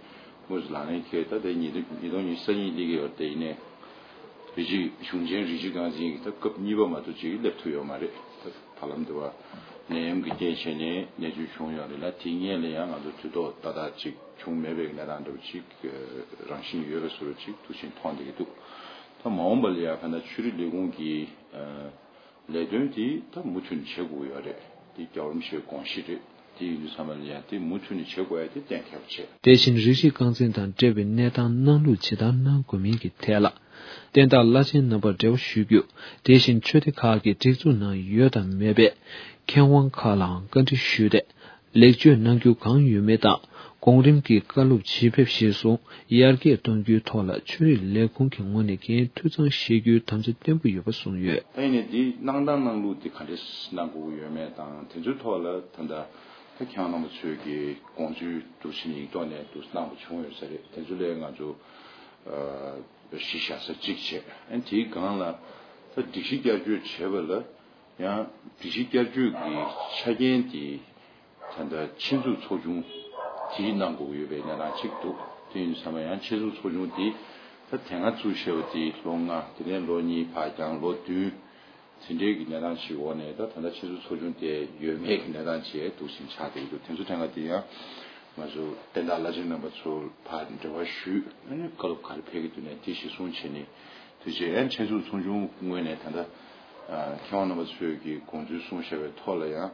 དངོས་སུ་ལག་ལེན་འཁེལ། ད་དེ་ཉིས་སྟོང་ཉིས་སྟོང་ཉི་ཤུ་རྩ་གཉིས་སླེབས་ཀྱི་ཡོད་རེད། དེ་ཡིན་ནའི་རིགས་གཅིག་གཞུང་ཆེན་རིགས་གཅིག་རྐང་འཛིན་གྱི་ད་སྐབས་གཉིས་པ་མ་གཏོགས་ཅིག་སླེབས་ཐུབ་ཡོད་མ་རེད། ད་བར་ལམ་དུ་བ་ནད་ཡམས་ཀྱི་རྐྱེན་བྱས་ནས་གནས་ཚུལ་བྱུང་ཡོད་རེད་ལ། དེ་སྔོན་ལ་ཡང་ང་ཚོ་དུས་ཐོག་ཏག་ཏག་ཅིག་བྱུང་མེད་པའི་གནས་སྟངས་འདྲ་བོ་ཅིག་རང་བཞིན་ཡོད་པའི་བཟོ་འདྲ་ཅིག་འདུག་བྱས་མཐོང་བསྡད་ཀྱི་འདུག་ད་མ་འོངས་པ་ལ་ཡང་ག་ན་ཆོས་རིག་ལས་ཁུངས་ཀྱི། ལས་དོན་དེ་ད་མུ་མཐུད་ནས་བྱེད་དགོས་ཡོད་རེད། དེ་རྒྱལ་བ་རིན་པོ་ཆེའི་དགོངས་གཞི་རེད། དེ་ཡིན་དུས་ཙམ་པ་ལ་ཡང་དེ་མུ་མཐུད་ནས་བྱེད་དགོས་ཡ་དེ་གཏན་འཁེལ་བ་བྱས། དེ་བཞིན་རིགས་གཅིག་རྐང་འཛིན་དང་འབྲེལ་བའི་གནས་སྟངས་གནང་ལུགས་ཇི་ལྟར་གནང་དགོས་མིན་གྱི་ཐད་ལ། བསྟན་བདག་བླ་ཆེན་རྣམ་པར་འབྲེལ་བ་ཞུ་རྒྱུ། དེ་བཞིན་ཆོས་སྡེ་ཁག་གི་སྒྲིག་འཛུགས་ནང་ཡོད་དང་མེད་པའི་མཁས་དབང་ཁག་ལའང་བཀའ་འདྲི་ཞུས་ཏེ། ལེགས་བཅོས་གནང་རྒྱུ་གང་ཡོད་མེད་དང་། གོང་རིམ་གྱི་བཀའ་སློབ་ཇི་ཕེབས་ཞེས་སོགས་ཡར་རྒྱས་གཏོང་རྒྱུའི་ཐོག་ལ་ཆོས་རིག་ལས་ཁུངས་ཀྱི་ངོས་ནས་འགན་འཐུས་ཚང་བཞེས་རྒྱུའི་དམ་བཅའ་བརྟན་པོ་ཡོད་པ་གསུངས་ཡོད། ད་ཡིན་ནའི་འདི་གནང་སྟངས་གནང་ལུགས་འདི་ག་འདྲས་གནང་དགོས་ཀྱི་ཡོད་མེད་དང་། དེ་ཚོའི་ཐོག་ལ་ད་ལྟ་ད་ཁྱེད་རང་རྣམ་པ་ཚོས་ཀྱི་དགོངས་ཚུལ་འདུག་ཕྱིན་ཡིག་ཐོག་ནས་འདུག་གནང་བ་བྱུང་ཡོད་ས་རེད། དེ་ཚོ་ལས་ང་ཚོ་གཞི་བཞག་ས་གཅིག་བྱས། ཨ་ནི་དེའི་སྒང་ལ་ད་སྒྲིག་གཞི་བསྐྱར་བཅོས་བྱས་པ་ལ། ཡང་སྒྲིག་གཞི་བསྐྱར་བཅོས་ཀྱི་ཆ་རྐྱེན་དེ་ད་ལྟ་ཆེད་འཛུགས་ཚོགས་ཆུང་དེས་གནང་དགོས་ཀྱི་ཡོད་པའི་གནས་སྟངས་གཅིག་འདུག་དེ་ཡིན་དུས་ཙམ་པ་ཡང་ཆེད་འཛུགས་ཚོགས་ཆུང་དེ་ད་དེ་སྔ་བཙུགས་བཞག་པ་དེ་ལོ་ལྔ། དེ་ནས་ལོ་གཉིས་ཕར་འགྱངས་ལོ་བདུན། དེ་འདྲའི་གི་གནས་སྟངས་ཤིག་འོག་ནས་ད་ད་ལྟ་ཆེད་འཛུགས་ཚོགས་ཆུང་དེ་ཡོད་མེད་ཀྱི་གནས་སྟངས་བྱས་འདུག་ཕྱིན་ཆགས་བསྡད་ཀྱི་འདུག་དེ་ཚོ་དེ་སྔ་དེ་ཡང་ང་ཚོ་བསྟན་བདག་བླ་ཆེན་རྣམ་པ་ཚོར་ཕར་འབྲེལ་བ་ཞུས། ཨ་ནི་བཀའ་སློབ་ག་རེ་ཕེབས་ཀྱི་འདུག་ནས་དེ་གཞིར་བཟུང་བྱས་ནས། དེ་རྗེས་ཡང་ཆེད་འཛུགས་ཚོགས་ཆུང་ངོས་ནས་ད་ལྟ་མཁས་དབང་རྣམ་པ་ཚོས་ཀྱི་དགོངས་ཚུལ་གསུངས་བཞག་པའི་ཐོག་ལ་ཡང་།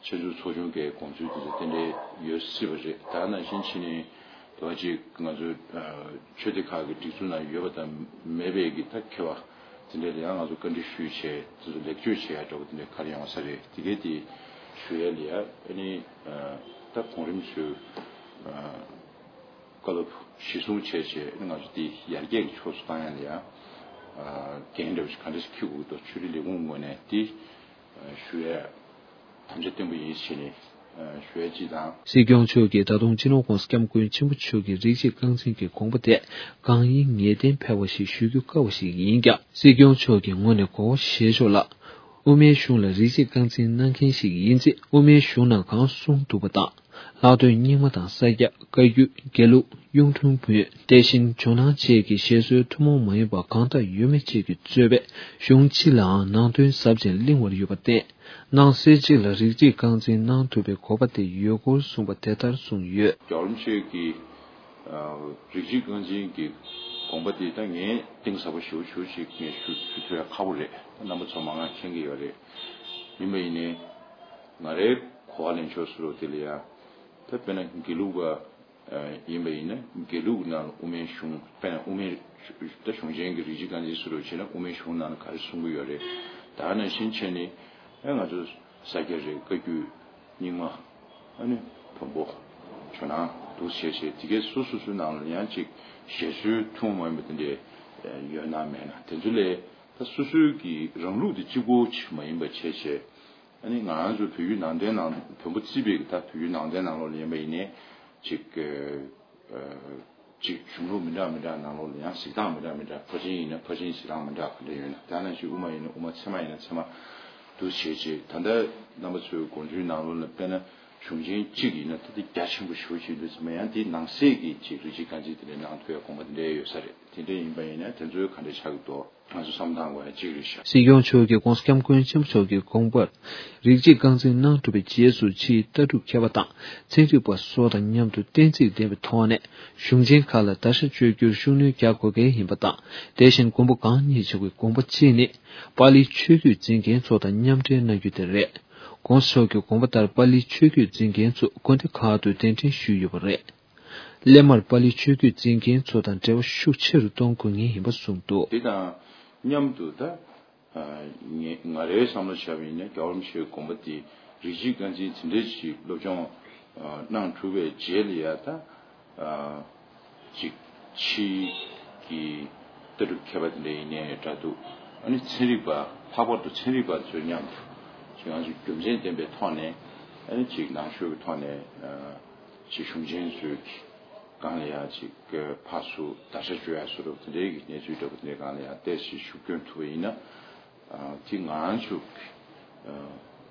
ཆེད་འཛུགས་ཚོགས་ཆུང་གི་དགོངས་ཚུལ་དེ་ཚོ་ཏན་ཏན་ཡོད་སྲིད་པ་རེད། ད་ནང་བཞིན་བྱས་ནས་དེ་བ་ཅིག་ང་ཚོའི་ཆོས་སྡེ་ཁག་གི་སྒྲིག་འཛུགས་ནང་ཡོད་པ་དང་མེད་པའི་གི་ད་ཁྱད་པར་དེ་འདྲ་ལ་ཡང་ང་ཚོ་བཀའ་འདྲི་ཞུས་བྱས། དེ་ཚོ་ལེགས་བཅོས་བྱེད་ཡ་འདྲ་བོ་དེ་འདྲ་ག་རེ་ཡོང་ས་རེད། དེ་གའི་དེ་ཞུ་ཡ་ལ་ཡ། ཨ་ནི་ད་གོང་རིམ་ཚོས་ བཀའ་སློབ་གཞི་བཟུང་བྱས་བྱས་ང་ཚོ་དེ་ཡར་རྒྱས་ཀྱི་ཕྱོགས་སུ་བཏང་ཡ་ལ་ཡང་འགན་འདྲ་བོ་ཞིག་ག་འདྲ་ཞིག་འཁྱེར་དགོས་ཀྱི་འདུག་ཆོས་རིག་ལས་ཁུངས་ངོས་ནས་དེ་ཞུ་ཡ་དམ་བཅའ་བརྟན་པོ་ཡིན་ཞེས་ནས་ཞུ་ཡ་གཅིག་དང་། སྲིད་སྐྱོང་མཆོག་གིས་ད་དུང་སྤྱི་ནོར་༸གོང་ས་༸སྐྱབས་མགོན་ཆེན་པོ་མཆོག་གི་རིགས་གཅིག་རྐང་འཛིན་གྱི་དགོངས་པ་དེ་གང་ཡིན་ངེས་གཏན་ཕལ་བ་ཞིག་ཞུ་རྒྱུ་དཀའ་བ་ཞིག་ཡིན་ཀྱང་། སྲིད་སྐྱོང་མཆོག་གི་ངོས་ནས་གོ་བ་བཞེས་ཕྱོགས་ལ། དབུ་མའི་གཞུང་ལ་རིགས་གཅིག་རྐང་འཛིན་གནང་མཁན་ཞིག་ཡིན་ཚེ་དབུ་མའི་གཞུང་ནང་གང་གསུངས་འདུག་པ་དང་། ལྷག་དོན་རྙིང་མ་དང་ས་སྐྱ། བཀའ་བརྒྱུད། དགེ་ལུགས། གཡུང་དྲུང་བོན། དེ་བཞིན་ཇོ་ནང་བཅས་ཀྱི་བཞེད་སྲོལ་ཐུན་མོང་མ་ཡིན་པ་གང་དག་ཡོད་མེད་བཅས་ཀྱིས་གཙོས་པའི་གཞུང་སྤྱི་ལའང་ནང་དོན་ཟབ་ཅིང་བརླིང་བར་ཡོད་པར་བརྟེན། ནང་གསེས་གཅིག་ལ་རིགས་གཅིག་རྐང་འཛིན་གནང་ཐུབ་པའི་གོ་བ་དེ་ཡོད་སྐོར་གསུངས་པ་དེ་ལྟར་གསུངས་ཡོད། རྒྱལ་བ་རིན་པོ་ཆེ་གི་རིགས་གཅིག་རྐང་འཛིན་གྱི་དགོངས་པ་དེ་ད་ངས་གཏིང་ཟབ་པོ་ཞེ་པོ་ཞེ་པོ་ཅིག་ངས་ཞུ་ཞུ་ཐུབ་ཡ་ཁག་པོ་རེད། རྣམ་པ་ཚོ་མང་ང་མཁྱེན་གྱི་ཡོད་རེད། ཡིན་པ་ཡིན་ནའི་ང་རའི་གོ་བ་ལེན་ཕྱོགས་སུ་རོ་དེ་ལ་ཡ་ད་དཔེར་ན་དགེ་ལུགས་པ་ཡིན་པ་ཡིན་ན་དགེ་ལུགས་ནང་ལ་དབུ་མའི་གཞུང་དཔེར་ན་དབུ་མའི་ད་གཞུང་ཆེན་གྱི་རིགས་གཅིག་རྐང་འཛིན་སུ་རུ་བྱས་ན་དབུ་མའི་གཞུང་ནང་ལ་ག་རེ་གསུང་གི་ཡོད་རེད། ད་ནང་བཞིན་བྱས་ནས་ཨེ་ང་ཚོ་ས་སྐྱ་རེད། བཀའ་བརྒྱུད། རྙིང་མ། ཨ་ནི་བོན་པོ། ཇོ་ནང་འདུག་བྱས་བྱས་དེ་གའི་སོ་སོ་སོའི་ནང་ལ་ཡང་ཅིག་བཞེད་སྲོལ་ཐུན་མོང་མ་ཡིན་པ་དེ་འདྲས་ཡོད་ན་མེད་ན་དེ་ཚོ་ལས་ད་སོ་སོའི་གི་རང་ལུགས་དེ་གཅིག་པོ་ཅིག་མ་ཡིན་པ་བྱས་བྱས། ཨ་ནི་ང་རང་ཚོ་བོད་བརྒྱུད་ནང་བསྟན་ནང་བོན་པོ་བརྩིས་པའི་ད་བོད་བརྒྱུད་ནང་བསྟན་ནང་ལོགས་ལ་ཡིན་པ་ཡིན་ནའི་ཅིག་ཅིག་གཞུང་ལུགས་མི་འདྲ་མི་འདྲ་ནང་ལོགས་ལ་ཡང་གཟིགས་སྟངས་མི་འདྲ་མི་འདྲ། ཕར་ཕྱིན་ཡིན་ན་ཕར་ཕྱིན་གཟིགས་སྟངས་མི་འདྲ་ག་འདྲ་ཡོད་ན། དེ་ནང་བཞིན་དབུ་མ་ཡིན་ན་དབུ་མ། ཚད་མ་ཡིན་ན་ཚད་མ་འདུག་བྱས་བྱས། ད་ལྟ་རྣམ་པ་ཚོའི་དགོངས་ཚུལ་ནང་ལོགས་ལ་དཔེར་ན་གཞུང་ཆེན་གཅིག་ཡིན་ན་ད་ལྟ་རྒྱ་ཆེན་པོ་ཞེ་པོ་ཅིག་འདུག་ཚད་མ་ཡང་དེའི་ནང་གསེས་ཀྱི་ཅིག་རིགས་གཅིག་རྐང་འཛིན་དེ་འདྲའི་གནང་ཐུབ་ཡ་དགོངས་པ་དེ་འདྲ་ཡོད་ས་རེད། དེ་འདྲ་ཡིན་པ་ཡིན་ན་དེ་ཚོའི་ག་འདྲ་ཆགས་ཀྱི་འདུག་ང་ཚོ་བསམ་བློ་བཏང་དགོས་ཡ་གཅིག་རེད་ཤག་སྲིད་སྐྱོང་མཆོག་གིས་༸གོང་ས་༸སྐྱབས་མགོན་ཆེན་པོ་མཆོག་གི་དགོངས་པར་རིགས་གཅིག་རྐང་འཛིན་གནང་གྲུབ་པའི་རྗེས་སུ་ཕྱིའི་ལྟ་གྲུབ་མཁས་པ་དང་ཚན་རིག་པ་སོགས་དང་མཉམ་དུ་གཏན་ཚིགས་ལྡན་པའི་ཐོག་ནས་གཞུང་ཆེན་ཁག་ལ་བརྡར་ཤ་གཅོད་རྒྱུར་ཤུགས་སྣོན་རྒྱག་དགོས་གལ་ཡིན་པ་དང་། དེ་བཞིན་མགོན་པོ་གང་ཉིད་མཆོག་གི་དགོངས་པ་གཅིག་ནི་པཱ་ལིའི་ཆོས་བརྒྱུད་འཛིན་མཁན་ཚོ་དང་མཉམ་འབྲེལ་གནང་རྒྱུ་དེ་རེད། ༸གོང་ས་མཆོག་གི་དགོངས་པ་ལྟར་པཱ་ལིའི་ཆོས་བརྒྱུད་འཛིན་མཁན་ཚོ་དགོན་སྡེ་ཁག་ཏུ་གདན་འདྲེན་ཞུས་ཡོད་པ་རེད། སླད་མར་པཱ་ལིའི་ཆོས་བརྒྱུད་འཛིན་མཁན་ཚོ་དང་འབྲེལ་བ་ཤུགས་ཆེ་རུ་གཏོང་དགོས་ངེས་ཡིན་པ་གསུངས་འདུག་དེ་དང་མཉམ་དུ་ད་ཨ་ངས་ང་རའི་བསམ་བློ་བྱས་པ་ཡིན་ན་རྒྱལ་བ་རིན་པོ་ཆེའི་དགོངས་པ་དེ་རིགས་གཅིག་རྐང་འཛིན་དེ་འདྲ་ཞིག་སློབ་སྦྱོང་ཨ་གནང་གྲུབ་པའི་རྗེས་ལ་ཡ་ད་ཨ་ཅིག་ཕྱིའི་གི་ལྟ་གྲུབ་མཁས་པ་དེ་འདྲ་ཡིན་ནའི་འདྲ་འདུག་ཨ་ནི་ཚན་རིག་པ་ལྷག་པར་དུ་ཚན་རིག་པ་ཚོའི་མཉམ་དུ་ཅིག་ང་ཚོ་རྒྱུ་མཚན་ལྡན་པའི་ཐོག་ནས་ཨ་ནི་ཅིག་ནང་ཆོས་ཀྱི་ཐོག་ནས་ཨ། ཅིག་གཞུང་ཆེན་ཚོའི་སྒང་ལ་ཡང་ཅིག་ཕར་ཚུར་བརྡར་ཤ་གཅོད་ཡ་བཟོ་འདྲ་དེ་འདྲའི་གི་གནས་ཚུལ་འདྲ་པོ་དེ་འདྲའི་སྒང་ལ་ཡང་ཏོག་ཙམ་ཤུགས་སྐྱོན་ཐུབ་པ་ཡིན་ན། ཨ་དེ་ང་རང་ཚོ་གི་ཨ་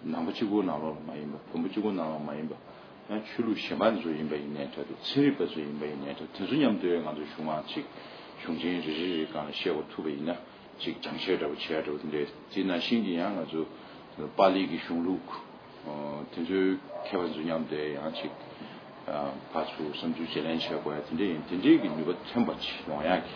ནང་པ་གཅིག་པོ་ནང་ལོགས་ལ་མ་ཡིན་པ། བོན་པོ་གཅིག་པོ་ནང་ལོགས་མ་ཡིན་པ། ཡང་ཆོས་ལུགས་གཞན་པ་ཚོ་ཡིན་པ་ཡིན་ནའི་འདྲ་འདུག་ཚན་རིག་པ་ཚོ་ཡིན་པ་ཡིན་ནའི་འདྲ། དེ་ཚོ་མཉམ་དུ་ང་ཚོ་གཞུང་མང་ཅིག་གཞུང་ཆེན་རེ་རེ་རེའི་སྒང་ལ་བཤད་དགོས་ཐུབ་པ་ཡིན་ན། ཅིག་སྦྱང་བཤད་འདྲ་པོ་བྱས་འདྲ་པོ་དེ་འདྲའི་དེ་ནང་བཞིན་གྱི་ཡང་ང་ཚོ་པཱ་ལི་གི་གཞུང་ལུགས་དེ་ཚོའི་མཁས་པ་ཚོ་མཉམ་དུ་ཡང་ཅིག་ཕར་ཚུར་བསམ་ཚུལ་བརྗེ་ལེན་བྱེད་དགོས་ཡ་དེ་འདྲ་ཡིན། དེ་འདྲའི་གི་ནུས་པ་ཐོན་པ་ཅིག་ཡོང་ཡ་གི་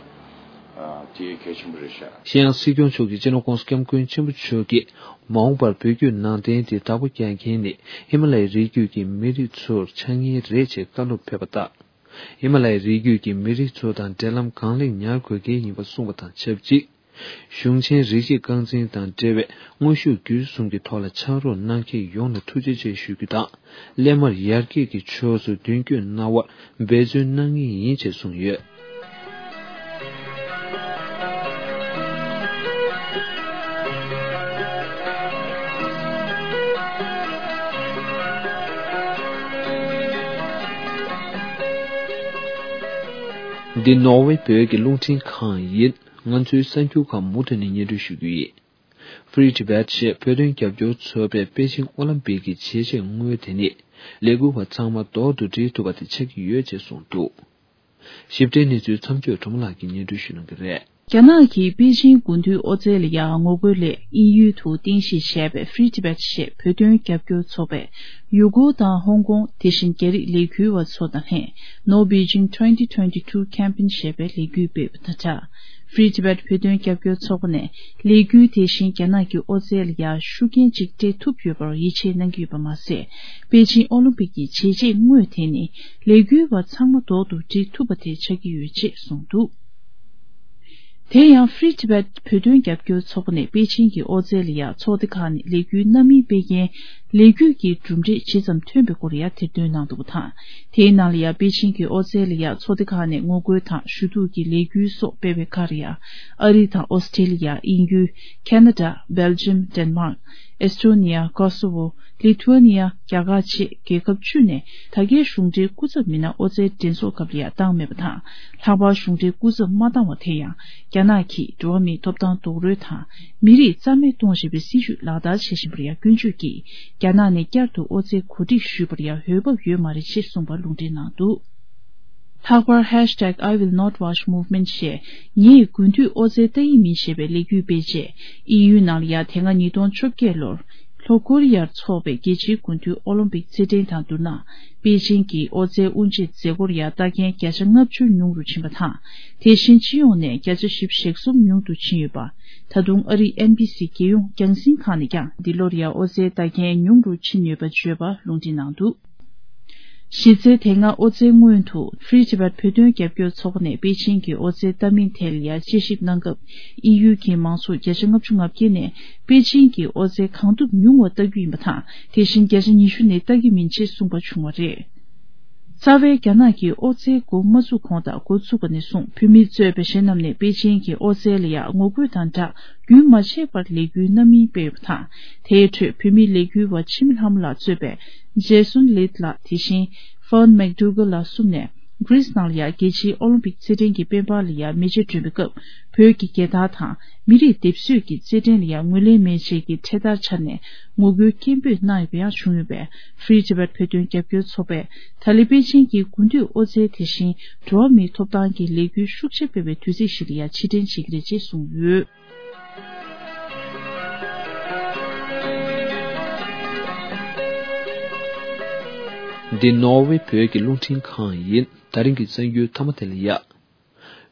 དེ་གལ་ཆེན་པོ་རེད་ཤག་གཞན་ཡང་སྲིད་སྐྱོང་མཆོག་གིས་སྤྱི་ནོར་༸གོང་ས་༸སྐྱབས་མགོན་ཆེན་པོ་མཆོག་གིས་མ་འོངས་པར་བོད་བརྒྱུད་ནང་བསྟན་དེ་བདག་པོ་རྒྱག་མཁན་ནི་ཧི་མ་ལ་ཡའི་རི་རྒྱུད་ཀྱི་མི་རིགས་ཚོར་ཆགས་ངེས་རེད་ཅེས་བཀའ་སློབ་ཕེབས་པ་ལྟར། ཧི་མ་ལ་ཡའི་རི་རྒྱུད་ཀྱི་མི་རིགས་ཚོ་དང་འབྲེལ་ལམ་གང་ལེགས་ཉར་དགོས་གལ་ཡིན་པ་གསུངས་པ་དང་ཆབས་ཅིག་གཞུང་ཆེན་རིགས་གཅིག་རྐང་འཛིན་དང་འབྲེལ་བའི་དངོས་ཤུགས་བརྒྱུད་གསུམ་གྱི་ཐོག་ལ་ཕྱག་རོགས་གནང་མཁན་ཡོངས་ལ་ཐུགས་རྗེ་ཆེ་ཞུ་རྒྱུ་དང་། སླད་མར་ཡར་རྒྱས་ཀྱི་ཕྱོགས་སུ་མདུན་སྐྱོད་གནང་བར་འབད་བརྩོན་གནང་ངེས་ཡིན་ཅེས་གསུངས་ཡོད། འདི་ནོར་ཝེ་བོད་ཀྱི་རླུང་འཕྲིན་ཁང་ཡིན། ང་ཚོའི་གསར་འགྱུར་ཁག་མུ་མཐུད་ནས་སྙན་སྒྲོན་ཞུ་རྒྱུ་ཡིན། Free Tibet ཞེས་བོད་དོན་རྒྱབ་སྐྱོར་ཚོགས་པས་པེ་ཅིང་ཨོ་ལིམ་པིག་གི་བྱས་རྗེས་དངོས་དེ་ནི་ལས་འགུལ་བ་ཚང་མ་ལྡོག་ཏུ་སྒྲིལ་ཐུབ་པ་དེ་ཆགས་ཀྱི་ཡོད་ཅེས་གསུངས་འདུག་ཞིབ་ཕྲའི་གནས་ཚུལ་མཚམས་གཅོད་གྲོང་མོ་ལགས་ཀྱིས་སྙན་སྒྲོན་ཞུ་གནང་གི་རེད། རྒྱ་ནག་གི་པེ་ཅིང་དགུན་དུས་ཨོ་རྩལ་ལ་ཡང་ངོ་རྒོལ་སླད་དབྱིན་ཡུལ་དུ་རྟེན་གཞི་བྱས་པའི་Free Tibet ཞེས་བོད་དོན་རྒྱབ་སྐྱོར་ཚོགས་པས་ཡུ་གུར་དང་ཧོང་ཀོང་དེ་བཞིན་རྒྱ་རིགས་ལས་འགུལ་བ་ཚོ་དང་ལྷན་No Beijing twenty twenty-two campaign ཞེས་པའི་ལས་འགུལ་སྤེལ་བ་དང་སྦྲགས། Free Tibet བོད་དོན་རྒྱབ་སྐྱོར་ཚོགས་པ་ནས་ལས་འགུལ་དེ་བཞིན་རྒྱ་ནག་གི་ཨོ་རྩལ་ལ་ཡང་ཤུགས་རྐྱེན་ཅིག་སྤྲད་ཐུབ་ཡོད་པར་ཡིད་ཆེས་གནང་གི་ཡོད་པ་མ་ཟད། པེ་ཅིང་ཨོ་ལིམ་པིག་གི་བྱས་རྗེས་དངོས་དེ་ནི་ལས་འགུལ་བ་ཚང་མ་ལྡོག་ཏུ་སྒྲིལ་ཐུབ་པ་དེ་ཆགས་ཀྱི་ཡོད་ཅེས་གསུངས་འདུག་དེ་ཡང་Free Tibet བོད་དོན་རྒྱབ་སྐྱོར་ཚོགས་པ་ནས་པེ་ཅིང་གི་ཨོ་རྩལ་ལ་ཡང་ཚོགས་སྡེ་ཁག་ནས་ལས་འགུལ་སྣ་མིན་སྤེལ་མཁན། ལས་འགུལ་གྱི་གྲུབ་འབྲས་ཇི་ཙམ་ཐོན་པའི་སྐོར་ཡང་དེར་འདོན་གནང་འདུག་པ་དང་། དེའི་ནང་ལ་ཡང་པེ་ཅིང་གི་ཨོ་རྩལ་ལ་ཡང་ཚོགས་སྡེ་ཁག་ནས་ངོ་རྒོལ་དང་ཞུ་གཏུག་གི་ལས་འགུལ་སོགས་སྤེལ་བའི་ཁར་ཡང་ཨ་རི་དང་ཨོ་སི་ཀྲེ་ལི་ཡ། དབྱིན་ཡུལ། ཁ་ན་ཌ། སྦེལ་ཇམ། ཌེན་མཱག། ཨེས་ཊོ་ནི་ཡ། ཀོ་སོ་ཝོ། ལི་ཐུ་ཨ་ནི་ཡ། རྒྱ་གར་བཅས་རྒྱལ་ཁབ་བཅུ་ནས་ད་སྐྱེལ་གཞུང་འབྲེལ་སྐུ་ཚབ་མི་སྣ་ཨོ་རྩལ་འགྲན་ཚོགས་སྐབས་ལ་ཡང་བཏང་མེད་པ་དང་། ལྷག་པར་གཞུང་འབྲེལ་སྐུ་ཚབ་མ་བཏང་བ་དེ་ཡང་རྒྱ་ནག་གིས་འགྲོ་བ་མིའི་ཐོབ་ཐང་རྡོག་རོལ་དང་མི་རིགས་རྩ་མེད་གཏོང་བཞིན་པའི་སྲིད་བྱུས་ལག་བསྟར་བྱེད་བཞིན་པར་ཡང་སྐྱོན་བརྗོད་ཀྱིས་རྒྱ་ནག་ནས་བསྐྱར་དུ་ཨོ་རྩལ་གོ་སྒྲིག་ཞུས་པར་ཡང་འོས་བབ་ཡོད་མ་རེད་ཅེས་གསུངས་པ་ལུང་འདྲེན་གནང་འདུག། ལྷག་པར་ཧེཤ་ཊེག་I will not watch movement ཞེས་ངས་དགུན་དུས་ཨོ་རྩལ་ལྟ་ཡི་མིན་ཞེས་པའི་ལས་འགུལ་སྤེལ་རྗེས། དབྱིན་ཡུལ་ནང་ལ་ཡང་དེ་སྔ་ཉིས་སྟོང་བཅོ་བརྒྱད་ལོར་ལྷོ་ཀོ་རི་ཡར་འཚོགས་པའི་རྒྱལ་སྤྱིའི་དགུན་དུས་ཨོ་ལིམ་པིག་རྩེད་འགྲན་དང་བསྡུར་ན། པེ་ཅིང་གི་ཨོ་རྩལ་དབུ་འབྱེད་མཛད་སྒོར་ཡང་ལྟ་མཁན་བརྒྱ་ཆ་ལྔ་བཅུ་ཉུང་རུ་ཕྱིན་པ་དང་། དེ་བཞིན་སྤྱི་ཡོངས་ནས་བརྒྱ་ཆ་བཞི་བཅུ་ཞེ་གསུམ་ཉུང་དུ་ཕྱིན་ཡོད་པ། ད་དུང་ཨ་རིའི་ཨེན་བྷི་སི་རྒྱལ་ཡོངས་རྒྱང་སྲིང་ཁང་ནས་ཀྱང་འདི་ལོར་ཡང་ཨོ་རྩལ་ལྟ་མཁན་ཉུང་རུ་ཕྱིན་ཡོད་པ་བརྗོད་པ་ལུང་འདྲེན་གནང་འདུག། གཞི་རྩའི་དེ་སྔ་ཨོ་རྩལ་སྔོན་དུ་Free Tibet བོད་དོན་རྒྱབ་སྐྱོར་ཚོགས་པ་ནས་པེ་ཅིང་གི་ཨོ་རྩལ་ལྟ་མིན་ཐད་ལ་ཡང་དཔྱད་ཞིབ་གནང་སྐབས། དབྱིན་ཡུལ་གྱི་མང་ཚོགས་བརྒྱ་ཆ་ལྔ་བཅུ་ང་བརྒྱད་ནས་པེ་ཅིང་གི་ཨོ་རྩལ་གང་ཐུབ་ཉུང་བ་ལྟ་རྒྱུ་ཡིན་པ་དང་། དེ་བཞིན་བརྒྱ་ཆ་ཉི་ཤུ་ནས་ལྟ་གི་མིན་ཅེས་གསུངས་པ་བྱུང་བ་རེད། རྩ་བའི་རྒྱ་ནག་གིས་ཨོ་རྩལ་འགོ་མ་བཙུགས་གོང་དང་འགོ་བཙུགས་པ་ནས་བཟུང་བོད་མི་གཙོས་པའི་གཞན་རྣམས་ནས་པེ་ཅིང་གི་ཨོ་རྩལ་ལ་ཡང་ངོ་རྒོལ་དང་སྦྲགས་རྒྱུན་མ་ཆད་པར་ལས་འགུལ་སྣ་མིན་སྤེལ་ཡོད་པ་དང་། དེའི་ཁྲོད་བོད་མི་ལས་འགུལ་བ་འཆི་མེད་ལྷ་མོ་ལགས་གཙོས་པའི་Jason Leith ལགས། དེ་བཞིན་Fern McDougall ལགས་གསུམ་ནས་Greece ནང་ལ་ཡང་རྒྱལ་སྤྱིའི་ཨོ་ལིམ་པིག་རྩེད་འགྲན་གྱི་དཔལ་འབར་ལ་ཡང་མེ་ལྕེ་སྒྲོན་པའི་སྐབས། བོད་ཀྱི་རྒྱལ་དར་དང་མི་རིགས་སྡེབ་གསོད་ཀྱི་རྩེད་འགྲན་ལ་ཡང་ངོས་ལེན་མེད་ཅེས་ཀྱི་འཕྲེད་དར་འཕྱར་ནས་ངོ་རྒོལ་སྐད་འབོད་གནང་ཡོད་པ་ཡང་བྱུང་ཡོད་པས། Free Tibet བོད་དོན་རྒྱབ་སྐྱོར་ཚོགས་པས་ད་ལི་པེ་ཅིང་གི་དགུན་དུས་ཨོ་རྩལ་དེ་བཞིན་འགྲོ་བ་མིའི་ཐོབ་ཐང་གི་ལས་འགུལ་ཤུགས་ཆེ་སྤེལ་བའི་དུས་ཚིགས་ཤིག་ལ་ཡང་ཕྱིར་དྲན་བྱེད་ཀྱི་རེད་ཅེས་གསུངས་ཡོད། འདི་ནོར་ཝེ་བོད་ཀྱི་རླུང་འཕྲིན་ཁང་ཡིན། ད་རིང་གི་གསར་འགྱུར་མཐའ་མ་དེ་ལ་ཡ།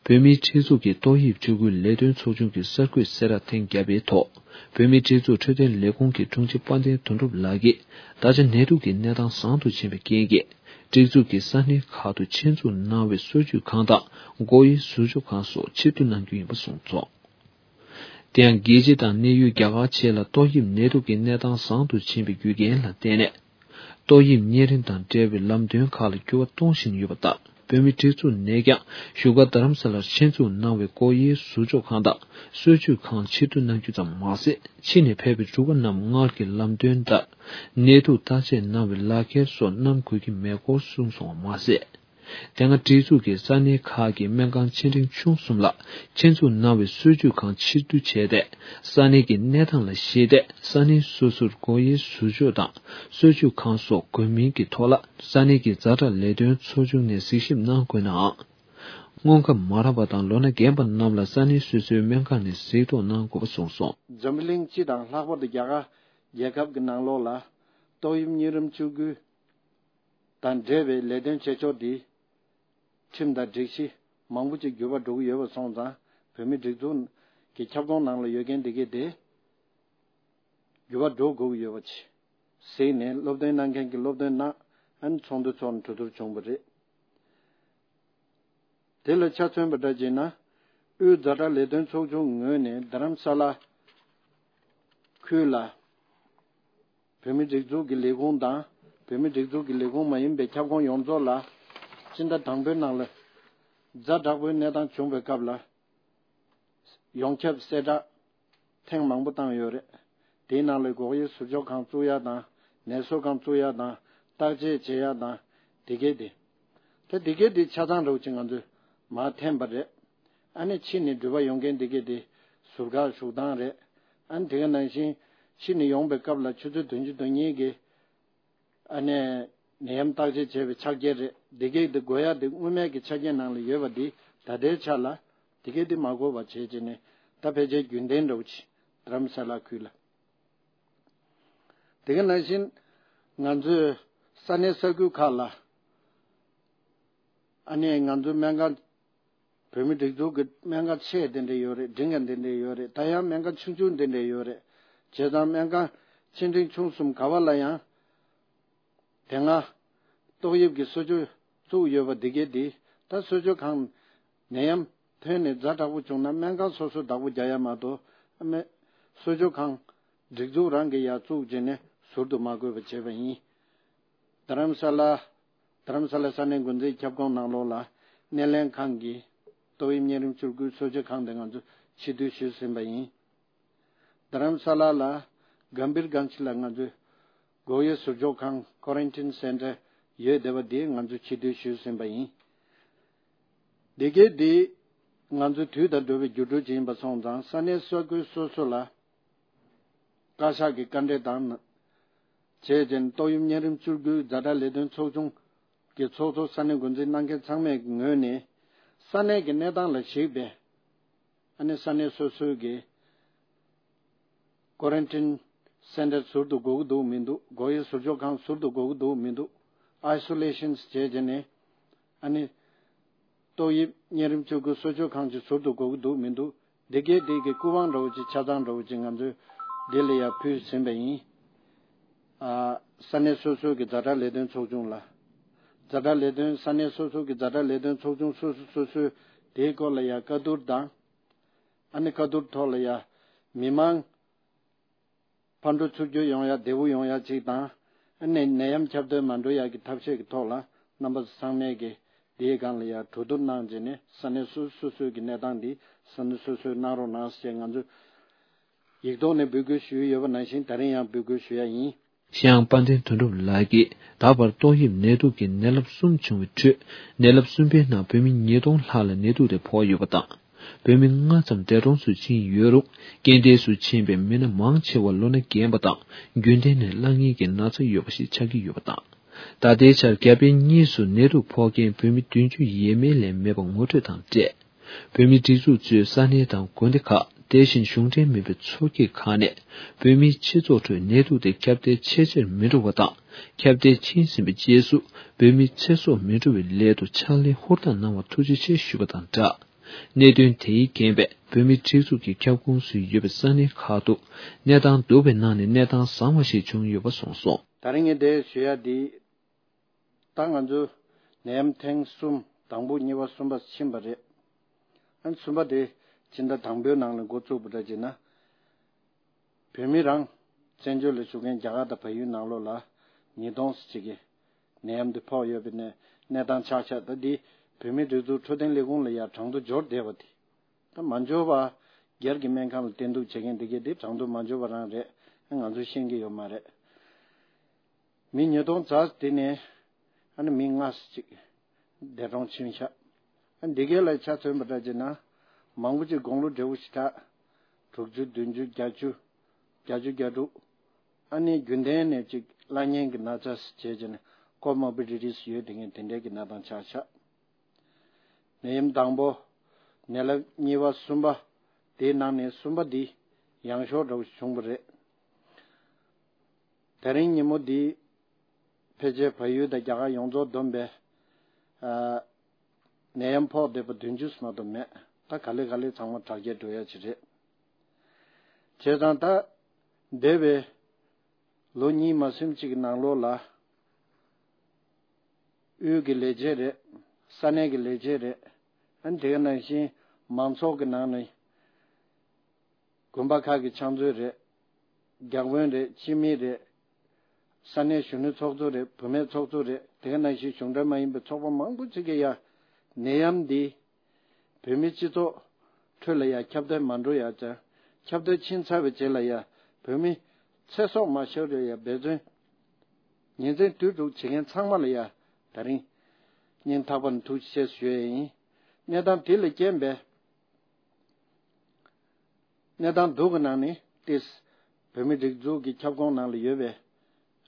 བོད་མིའི་སྒྲིག་འཛུགས་ཀྱི་ཏོག་དབྱིབས་བཅོས་ཁུལ་ལས་དོན་ཚོགས་ཆུང་གི་གསར་འགོད་གསལ་བསྒྲགས་ཐེངས་བརྒྱ་པའི་ཐོག་བོད་མིའི་སྒྲིག་འཛུགས་འཕྲོད་བསྟེན་ལས་ཁུངས་ཀྱི་དྲུང་ཆེ་དཔལ་ལྡན་དོན་གྲུབ་ལགས་ཀྱིས། ད་ཆ་ནད་དུག་གི་གནས་སྟངས་བཟང་དུ་ཕྱིན་པའི་རྐྱེན་གྱིས། སྒྲིག་འཛུགས་ཀྱི་ས་གནས་ཁག་ཏུ་ཆེད་འཛུགས་གནང་བའི་གསོ་བཅོས་ཁང་དང་སྒོ་དབྱེའི་ཟུར་འཇོག་ཁང་སོགས་ཕྱིར་བསྡུ་གནང་རྒྱུ་ཡིན་པ་གསུངས་སོང་། དེ་ཡང་རྒྱལ་སྤྱི་དང་གནས་ཡུལ་རྒྱ་གར་བཅས་ལ་ཏོག་དབྱིབས་ནད་དུག་གི་གནས་སྟངས་བཟང་དུ་ཕྱིན་པའི་རྒྱུ་རྐྱེན་ལ་བརྟེན་ནས། ཏོག་དབྱིབས་གཉན་རིམས་དང་འབྲེལ་བའི་ལམ་སྟོན་ཁག་ལ་འགྱུར་བ་གཏོང་བཞིན་ཡོད་པ་ལྟར། བོད་མིའི་སྒྲིག་འཛུགས་ནས་ཀྱང་བཞུགས་སྒར་རྡ་རམ་ས་ལར་ཆེད་འཛུགས་གནང་བའི་སྒོ་དབྱེའི་ཟུར་འཇོག་ཁང་དང་གསོ་བཅོས་ཁང་ཕྱིར་བསྡུ་གནང་རྒྱུ་ཙམ་མ་ཟད། ཕྱི་ནས་ཕེབས་པའི་འབྲུག་པ་རྣམས་སྔར་གྱི་ལམ་སྟོན་ལྟར་ནད་དུག་བརྟག་དཔྱད་གནང་བའི་ལག་ཁྱེར་སོགས་བསྣམས་དགོས་ཀྱི་མེད་སྐོར་གསུངས་སོང་བ་མ་ཟད། དེ་སྔ་སྒྲིག་འཛུགས་ཀྱི་ས་གནས་ཁག་གི་སྨན་ཁང་ཆེ་འབྲིང་ཆུང་གསུམ་ལ་ཆེད་འཛུགས་གནང་བའི་གསོ་བཅོས་ཁང་ཕྱིར་བསྡུ་བྱས་ཏེ། ས་གནས་ཀྱི་གནས་སྟངས་ལ་གཞིགས་ཏེ། ས་གནས་སོ་སོར་སྒོ་དབྱེའི་ཟུར་འཇོག་དང་གསོ་བཅོས་ཁང་སོགས་དགོས་མིན་གྱི་ཐོག་ལ། ས་གནས་ཀྱི་ཛ་དྲག་ལས་དོན་ཚོགས་ཆུང་ནས་གཟིགས་ཞིབ་གནང་དགོས་ནའང་། སྔོན་ཁ་མ་རག་པ་དང་ལོ་ན་རྒན་པ་རྣམས་ལ་ས་གནས་སོ་སོའི་སྨན་ཁང་ནས་གཟིགས་རྟོག་གནང་དགོས་པ་གསུངས་སོང་། འཛམ་བུ་གླིང་སྤྱི་དང་ལྷག་པར་དུ་རྒྱ་གར་རྒྱལ་ཁབ་ཀྱི་ནང་ལོགས་ལ་ཏོག་དབྱིབས་གཉན་རིམས་བཅོས་ཁུལ་དང་འབྲེལ་བའི་ལས་དོན་བྱེད་ཕྱོགས་འདི་ཁྲིམས་དང་སྒྲིག་གཞི་མང་པོ་ཅིག་འགྱུར་བ་འགྲོ་གི་ཡོད་པ་སོང་ཙང་། བོད་མིའི་སྒྲིག་འཛུགས་ཀྱི་ཁྱབ་ཁོངས་ནང་ལ་ཡོད་མཁན་འདི་གས་དེ་འགྱུར་བ་འགྲོ་དགོས་ཀྱི་ཡོད་པ་ཅིག་གཟིགས་ནས། སློབ་སྟོན་གནང་མཁན་གྱིས་སློབ་སྟོན་གནང་། ཨ་ནི་ཚོགས་འདུ་ཚོགས་ནས་གྲོས་བསྡུར་བྱུང་བ་རེད། དེ་ལ་ཆ་མཚོན་པ་འདྲ་བྱས་ན། དབུས་ཛ་དྲག་ལས་དོན་ཚོགས་ཆུང་ངོས་ནས་རྡ་རམ་ས་ལ་ཁུལ་ལ་བོད་མིའི་སྒྲིག་འཛུགས་ཀྱི་ལས་ཁུངས་དང་། བོད་མིའི་སྒྲིག་འཛུགས་ཀྱི་ལས་ཁུངས་མ་ཡིན་པའི་ཁྱབ་ཁོངས་ཡོངས་རྫོགས་ལ་སྤྱི་ཟླ་དང་པོའི་ནང་ལ་ཛ་དྲག་པོའི་གནས་སྟངས་བྱུང་བའི་སྐབས་ལ། ཡོངས་ཁྱབ་གསལ་བསྒྲགས་ཐེངས་མང་པོ་བཏང་ཡོད་རེད། དེའི་ནང་ལ་སྒོ་དབྱེའི་ཟུར་འཇོག་ཁང་བཙུགས་ཡ་དང་། ནད་གསོ་ཁང་བཙུགས་ཡ་དང་། བརྟག་དཔྱད་བྱེད་ཡ་དང་། དེ་གས་དེ། ད་དེ་གས་དེ་ཆ་ཚང་འདྲ་བོ་ཅིག་ང་ཚོས་མར་འཐེན་པ་རེད། ཨ་ནི་ཕྱི་ནས་འགྲུལ་པ་ཡོང་མཁན་དེ་གས་དེ་ཟུར་བཀག་བཞུགས་སྟངས་རེད། ཨ་ནི་དེ་ག་ནང་བཞིན་ཕྱི་ནས་ཡོང་པའི་སྐབས་ལ་ཆུ་ཚོད་བདུན་ཅུ་དོན་གཉིས་ཀྱི། ཨ་ནི་ནད་ཡམས་བརྟག་དཔྱད་བྱས་པའི་ཕྱག་འཁྱེར་རེད། འདི་གས་དེ་དགོས་ཡ་དེ་སྔོན་མའི་གི་ཆ་རྐྱེན་ནང་ལ་ཡོད་པ་འདི་ད་ལྟའི་ཆ་ལ་འདི་གས་དེ་མ་དགོས་པ་བྱས་བྱས་ནས། ད་ཕལ་ཆེར་རྒྱུན་ལྡན་འདྲ་བོ་ཅིག་རྡ་རམ་ས་ལ་ཁུལ་ལ། དེ་ག་ནང་བཞིན་ང་ཚོའི་ས་གནས་ས་ཁུལ་ཁག་ལ། ཨ་ནི་ང་ཚོའི་སྨན་ཁང་། བོད་མི་སྒྲིག་འཛུགས་ཀྱི་སྨན་ཁང་ཆེ་དེ་འདྲ་ཡོད་རེད། འབྲིང་ཁ་དེ་འདྲ་ཡོད་རེད། ད་ཡང་སྨན་ཁང་ཆུང་ཆུང་དེ་འདྲ་ཡོད་རེད། བྱས་ཙང་སྨན་ཁང་ཆེ་འབྲིང་ཆུང་གསུམ་ག་བ་ལ་ཡང་དེ་སྔ་ཏོག་དབྱིབས་ཀྱི་གསོ་བཅོས་བཙུགས་ཡོད་པ་འདི་གས་འདི། ད་གསོ་བཅོས་ཁང་ནད་ཡམས་ཐོན་ནས་ཛ་དྲག་པོ་བྱུང་ན་སྨན་ཁང་སོ་སོ་བདག་པོ་རྒྱག་ཡ་མ་གཏོགས། ཨ་མེ། གསོ་བཅོས་ཁང་སྒྲིག་འཛུགས་རང་གིས་ཡར་བཙུགས་བྱས་ནས། ཟུར་དུ་མ་བཀོད་པ་བྱས་པ་ཡིན། རྡ་རམ་ས་ལ། རྡ་རམ་ས་ལ་ས་གནས་འགོ་འཛིན་ཁྱབ་ཁོངས་ནང་ལོགས་ལ་སྣེ་ལེན་ཁང་གི་ཏོག་དབྱིབས་གཉན་རིམས་བཅུ་དགུ་གསོ་བཅོས་ཁང་དེ་ང་ཚོ་ཕྱིར་བསྡུ་ཞུས་ཟིན་པ་ཡིན། རྡ་རམ་ས་ལ་ལ་གམ་བིར་གྷན་ཇི་ལ་ང་ཚོས་འགོག་དབྱེ་ཟུར་འཇོག་ཁང་Quarantine Center ཡོད་བསྡད་པ་དེ་ང་ཚོས་ཕྱིར་བསྡུ་ཞུས་ཟིན་པ་ཡིན། འདི་གའི་འདི་ང་ཚོའི་དུས་དང་འགྲོ་བའི་འགྱུར་འགྲོས་ཅིག་ཡིན་པ་སོང་ཙང་ས་གནས་ས་ཁུལ་སོ་སོ་ལ་བཀའ་ཤག་གི་བཀའ་འབྲེལ་དང་བྱས་རྗེས་ཏོག་དབྱིབས་གཉན་རིམས་བཅུ་དགུའི་ཛ་དྲག་ལས་དོན་ཚོགས་ཆུང་གི་ཚོགས་གཙོ་ས་གནས་འགོ་འཛིན་གནང་མཁན་ཚང་མའི་ངོས་ནས་ས་གནས་ཀྱི་གནས་སྟངས་ལ་གཞིགས་པའི་ཨ་ནི་ས་གནས་སོ་སོའི་གི་Quarantine Center ཟུར་དུ་དགོས་ཀྱི་འདུག་མི་འདུག་འགོག་དབྱེ་ཟུར་འཇོག་ཁང་ཟུར་དུ་དགོས་ཀྱི་འདུག་མི་འདུག Isolations བྱས་རྗེས་ནས་ཨ་ནི་ཏོག་དབྱིབས་གཉན་རིམས་བཅུ་དགུ་གསོ་བཅོས་ཁང་ཅིག་ཟུར་དུ་དགོས་ཀྱི་འདུག་མི་འདུག་འདི་གའི་འདི་གི་སྐུ་དབང་འདྲ་བོ་ཅིག་ཆ་ཚང་འདྲ་བོ་ཅིག་ང་ཚོས་འདི་ལ་ཡར་ཕུལ་ཟིན་པ་ཡིན། ཨ། ས་གནས་སོ་སོའི་གི་ཛ་དྲག་ལས་དོན་ཚོགས་ཆུང་ལ། ཛ་དྲག་ལས་དོན་ས་གནས་སོ་སོའི་གི་ཛ་དྲག་ལས་དོན་ཚོགས་ཆུང་སོ་སོ་སོ་སོས་དེའི་སྐོར་ལ་ཡར་བཀའ་བསྡུར་དང་། ཨ་ནི་བཀའ་བསྡུར་ཐོག་ལ་ཡར་མི་མང་ཕར་འགྲོ་ཚུར་འགྱུར་ཡོང་ཡ་བདེ་བོ་ཡོང་ཡ་ཅིག་དང་། ཨ་ནི་ནད་ཡམས་ཁྱབ་གདལ་མ་འགྲོ་ཡ་གི་ཐབས་ཤེས་ཀྱི་ཐོག་ལ་རྣམ་པ་ཚོ་ཚང་མས་ཀྱི་དེའི་སྒང་ལ་ཡར་གྲོས་བསྡུར་གནང་རྗེས་ནས་ས་གནས་སོ་སོ་སོ་སོའི་གི་གནས་སྟངས་འདི་ས་གནས་སོ་སོས་གནང་རོགས་གནང་ཞེས་ང་ཚོས་ཡིག་ཐོག་ནས་འབོད་སྐུལ་ཞུས་ཡོད་པ་ནང་བཞིན་ད་རིང་ཡང་འབོད་སྐུལ་ཞུ་ཡ་ཡིན། ཤེས་ཡོན་དཔལ་ལྡན་དོན་གྲུབ་ལགས་ཀྱིས་ད་བར་ཏོག་དབྱིབས་ནད་དུག་གི་ནད་རླབས་གསུམ་བྱུང་བའི་ཁྲོད་ནད་རླབས་གསུམ་པའི་ནང་བོད་མི་ཉིས་སྟོང་ལྷག་ལ་ནད་དུག་དེ་ཕོག་ཡོད་པ་དང་། བོད་མི་ལྔ་ཙམ་འདས་གྲོངས་སུ་ཕྱིན་ཡོད་རུང་རྐྱེན་འདས་སུ་ཕྱིན་པའི་མི་སྣ་མང་ཆེ་བ་ལོ་ན་རྒན་པ་དང་རྒྱུན་ལྡན་ནས་བླ་ངན་གྱི་ན་ཚ་ཡོད་པ་ཞིག་ཆགས་ཀྱི་ཡོད་པ་དང་། ད་ལྟའི་ཆར་རྒྱ་བལ་གཉིས་སུ་ནད་དུག་ཕོག་མཁན་བོད་མི་བདུན་ཅུ་ཡས་མས་ལས་མེད་པ་ངོ་སྤྲོད་དང་འབྲེལ། བོད་མིའི་སྒྲིག་འཛུགས་གཙོས་ས་གནས་དང་དགོན་སྡེ་ཁག་དེ་བཞིན་གཞུང་འབྲེལ་མིན་པའི་ཚོགས་སྐྱིད་ཁག་ནས་བོད་མིའི་སྤྱི་ཚོགས་ཁྲོད་ནད་དུག་དེ་ཁྱབ་གདལ་ཆེས་ཆེར་མི་འགྲོ་བ་དང་། ཁྱབ་གདལ་ཕྱིན་ཟིན་པའི་རྗེས་སུ་བོད་མིའི་ཚེ་སྲོག་མི་འགྲོ་བའི་སླད་དུ་ཕྱག་ལས་ཧུར་ཐག་གནང་བར་ཐུགས་རྗེ་ཆེ་ཞུས་པ་དང་སྦྲགས། གནད་དོན་དེའི་རྐྱེན་པས་བོད་མིའི་སྒྲིག་འཛུགས་ཀྱི་ཁྱབ་ཁོངས་སུ་ཡོད་པའི་ས་གནས་ཁག་ཏུ་གནས་སྟངས་སྡུག་པའི་ནང་ནས་གནས་སྟངས་བཟང་བ་ཞིག་བྱུང་ཡོད་པ་གསུངས་སོང་། ད་རིང་ངས་འདིར་ཞུ་ཡ་འདི། ད་ང་ཚོ་ནད་ཡམས་ཐེངས་གསུམ་དང་པོ་གཉིས་པ་གསུམ་པ་ཕྱིན་པ་རེད། ཨ་ནི་གསུམ་པ་དེ་སྤྱི་ཟླ་དང་པོའི་ནང་ལ་འགོ་བཙུགས་པ་འདྲ་བྱས་ན། བོད་མི་རང་བཙན་བྱོལ་ལ་བཞུགས་མཁན་རྒྱ་གར་དང་བལ་ཡུལ་ནང་ལོགས་ལ་ཉིས་སྟོང་ཙམ་ཅིག་གི་ནད་ཡམས་འདི་ཕོག་ཡོད་པའི་གནས་གནས་སྟངས་ཆགས་ཤག་ད་འདི་བོད་མིའི་སྒྲིག་འཛུགས་འཕྲོད་བསྟེན་ལས་ཁུངས་ལ་ཡར་གྲངས་ཐོ་འབྱོར་བསྡད་པ་དེ། ད་མ་འབྱོར་བ་སྒེར་གྱི་སྨན་ཁང་ལ་བསྟེན་གཏུགས་བྱེད་མཁན་འདི་གས་འདི་གྲངས་ཐོ་མ་འབྱོར་བ་རང་རེད། ང་ཚོས་ཤེས་ཀྱི་ཡོད་མ་རེད། མི་ཉིས་སྟོང་ཙམ་དེ་ནས་ཨ་ནི་མི་ལྔ་ཙམ་ཅིག་འདས་གྲོངས་ཕྱིན་ཤག་ཨ་འདི་གའི་ལ་ཆ་མཚོན་པ་འདྲ་བྱས་ན་མང་པོ་ཅིག་དགུང་ལོ་བགྲེས་པོ་ཞིག་གྲགས། དྲུག་ཅུ་བདུན་ཅུ་བརྒྱད་ཅུ་བརྒྱད་ཅུ་གྱ་དྲུག་ཨ་ནི་རྒྱུན་ལྡན་ནས་ཅིག་བླ་གཉན་གྱི་ན་ཚ་བྱས་བྱས་ནས་ཀོ་མོར་བི་ཌི་ཊི་སི་ཡོད་དེ་ངས་དེ་འདྲའི་གི་གནས་སྟངས་ཆགས་ཤག་ནད་ཡམས་དང་པོ། ནད་རླབས་གཉིས་པ་གསུམ་པ། དེའི་ནང་ནས་གསུམ་པ་འདི་ཡང་ཤོས་འདྲ་བོ་བྱུང་བ་རེད། དེ་རིང་ཉིན་མོ་འདི་ཕལ་ཆེར་བལ་ཡུལ་དང་རྒྱ་གར་ཡོངས་རྫོགས་བསྡོམས་པས་ཨ་ནད་ཡམས་ཕོག་བསྡད་པ་བདུན་ཅུ་ཙམ་མ་གཏོགས་མེད། ད་ག་ལེ་ག་ལེ་ཚང་མ་དྲག་སྐྱེད་འགྲོ་ཡ་ཅིག་རེད། བྱས་ཙང་ད་འདས་པའི་ལོ་གཉིས་མ་ཟིན་ཅིག་གི་ནང་ལོགས་ལ། དབུས་ཀྱི་ལས་བྱེད་རེད། ས་གནས་ཀྱི་ལས་བྱེད་རེད། ཨ་ནི་དེ་ག་ནང་བཞིན་མང་ཚོགས་ཀྱི་ནང་ནས་དགོན་པ་ཁག་གི་ཕྱག་མཛོད་རེད། བརྒྱ་དཔོན་རེད། སྤྱི་མི་རེད། ས་གནས་གཞོན་ནུ་ཚོགས་གཙོ་རེད། བུད་མེད་ཚོགས་གཙོ་རེད། དེ་ག་ནང་བཞིན་གཞུང་འབྲེལ་མ་ཡིན་པའི་ཚོགས་པ་མང་པོ་ཅིག་གིས་ཡ་ནད་ཡམས་འདི་བོད་མི་སྤྱི་ཚོགས་ཁྲོད་ལ་ཡ་ཁྱབ་གདལ་མ་འགྲོ་ཡ་ཅང་། ཁྱབ་གདལ་ཕྱིན་ཚར་བའི་རྗེས་ལ་ཡ་བོད་མི་ཚེ་སྲོག་མ་ཤོར་བའི་ཡ་འབད་བརྩོན་ཉིན་མཚན་དུས་དྲུག་བྱེད་མཁན་ཚང་མ་ལ་ཡ་ད་རིང་སྙིང་ཐག་པ་ནས་ཐུགས་རྗེ་ཆེ་ཞུ་ཡ་ཡིན། གནས་སྟངས་དེ་ལས་རྐྱེན་པས། གནས་སྟངས་སྡུག་གི་ནང་ནས་ཏིས་བོད་མི་སྒྲིག་འཛུགས་ཀྱི་ཁྱབ་ཁོངས་ནང་ལ་ཡོད་པའི་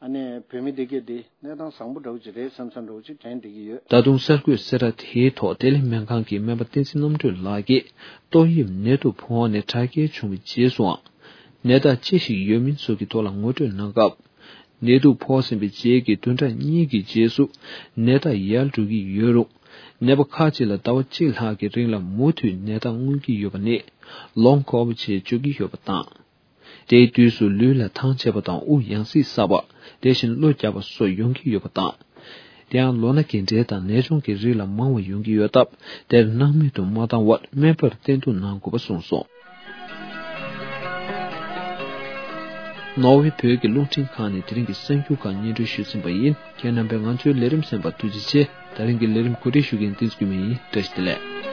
ཨ་ནེ་བོད་མི་འདི་གས་འདི་གནས་སྟངས་བཟང་པོ་འདྲ་བོ་ཅིག་རེད་བསམ་བསམ་འདྲ་བོ་ཅིག་དྲན་བསྡད་ཀྱི་ཡོད། ད་དུང་གསར་འགོད་གསལ་བསྒྲགས་དེའི་ཐོག་བདེ་ལེགས་སྨན་ཁང་གི་སྨན་པ་བསྟན་འཛིན་རྣམ་གྲོལ་ལགས་ཀྱིས་ཏོག་དབྱིབས་ནད་དུག་ཕོག་ནས་དྲག་སྐྱེད་བྱུང་བའི་རྗེས་སུའང་ནད་རྟགས་ཅི་ཞིག་ཡོད་མིན་སོགས་ཀྱི་ཐོག་ལ་ངོ་སྤྲོད་གནང་སྐབས། ནད་དུག་ཕོག་ཟིན་པའི་རྗེས་ཀྱི་བདུན་ཕྲག་གཉིས་ཀྱི་རྗེས་སུ་ནད་རྟགས་ཡལ་འགྲོ་གི་ཡོད་རུང་། ནད་པ་ཁག་ཅིག་ལ་ཟླ་བ་གཅིག་ལྷག་གི་རིང་ལ་མུ་མཐུད་ནད་རྟགས་མངོན་གྱི་ཡོད་པ་ནི་ལོང་ཀོ་ཝི་ཌི་ཞེས་བརྗོད་ཀྱི་ཡོད་པ་དང་། དེའི་དུས་སུ་ལུས་ལ་ཐང་ཆད་པ་དང་དབུགས་ཡང་སྲིད་གསར་པ། དེ་བཞིན་གློ་རྒྱག་པ་སོགས་ཡོང་གི་ཡོད་པ་དང་། དེ་ཡང་ལོ་ན་རྒན་གྲས་དང་ནད་གཅོང་གི་རིགས་ལ་མང་བ་ཡོང་གི་ཡོད་སྟབས། དེར་སྣང་མེད་དུ་མ་བཏང་བར་སྨན་པར་བསྟེན་གཏུགས་གནང་དགོས་པ་གསུངས་སོང་། ནོར་ཝེ་བོད་ཀྱི་རླུང་འཕྲིན་ཁང་ནས་དེ་རིང་གི་གསར་འགྱུར་ཁག་སྙན་སྒྲོན་ཞུས་ཟིན་པ་ཡིན། ཁྱེད་རྣམ་པས་ང་ཚོའི་ལས་རིམ་གསན་པར་ཐུགས་རྗེ་ཆེ། ད་རིང་གི་ལས་རིམ་གོ་སྒྲིག་ཞུ་མཁན་བསྟན་འཛིན་སྐྱོད་མེད་ཡིན། བཀྲ་ཤིས་བདེ་ལེགས།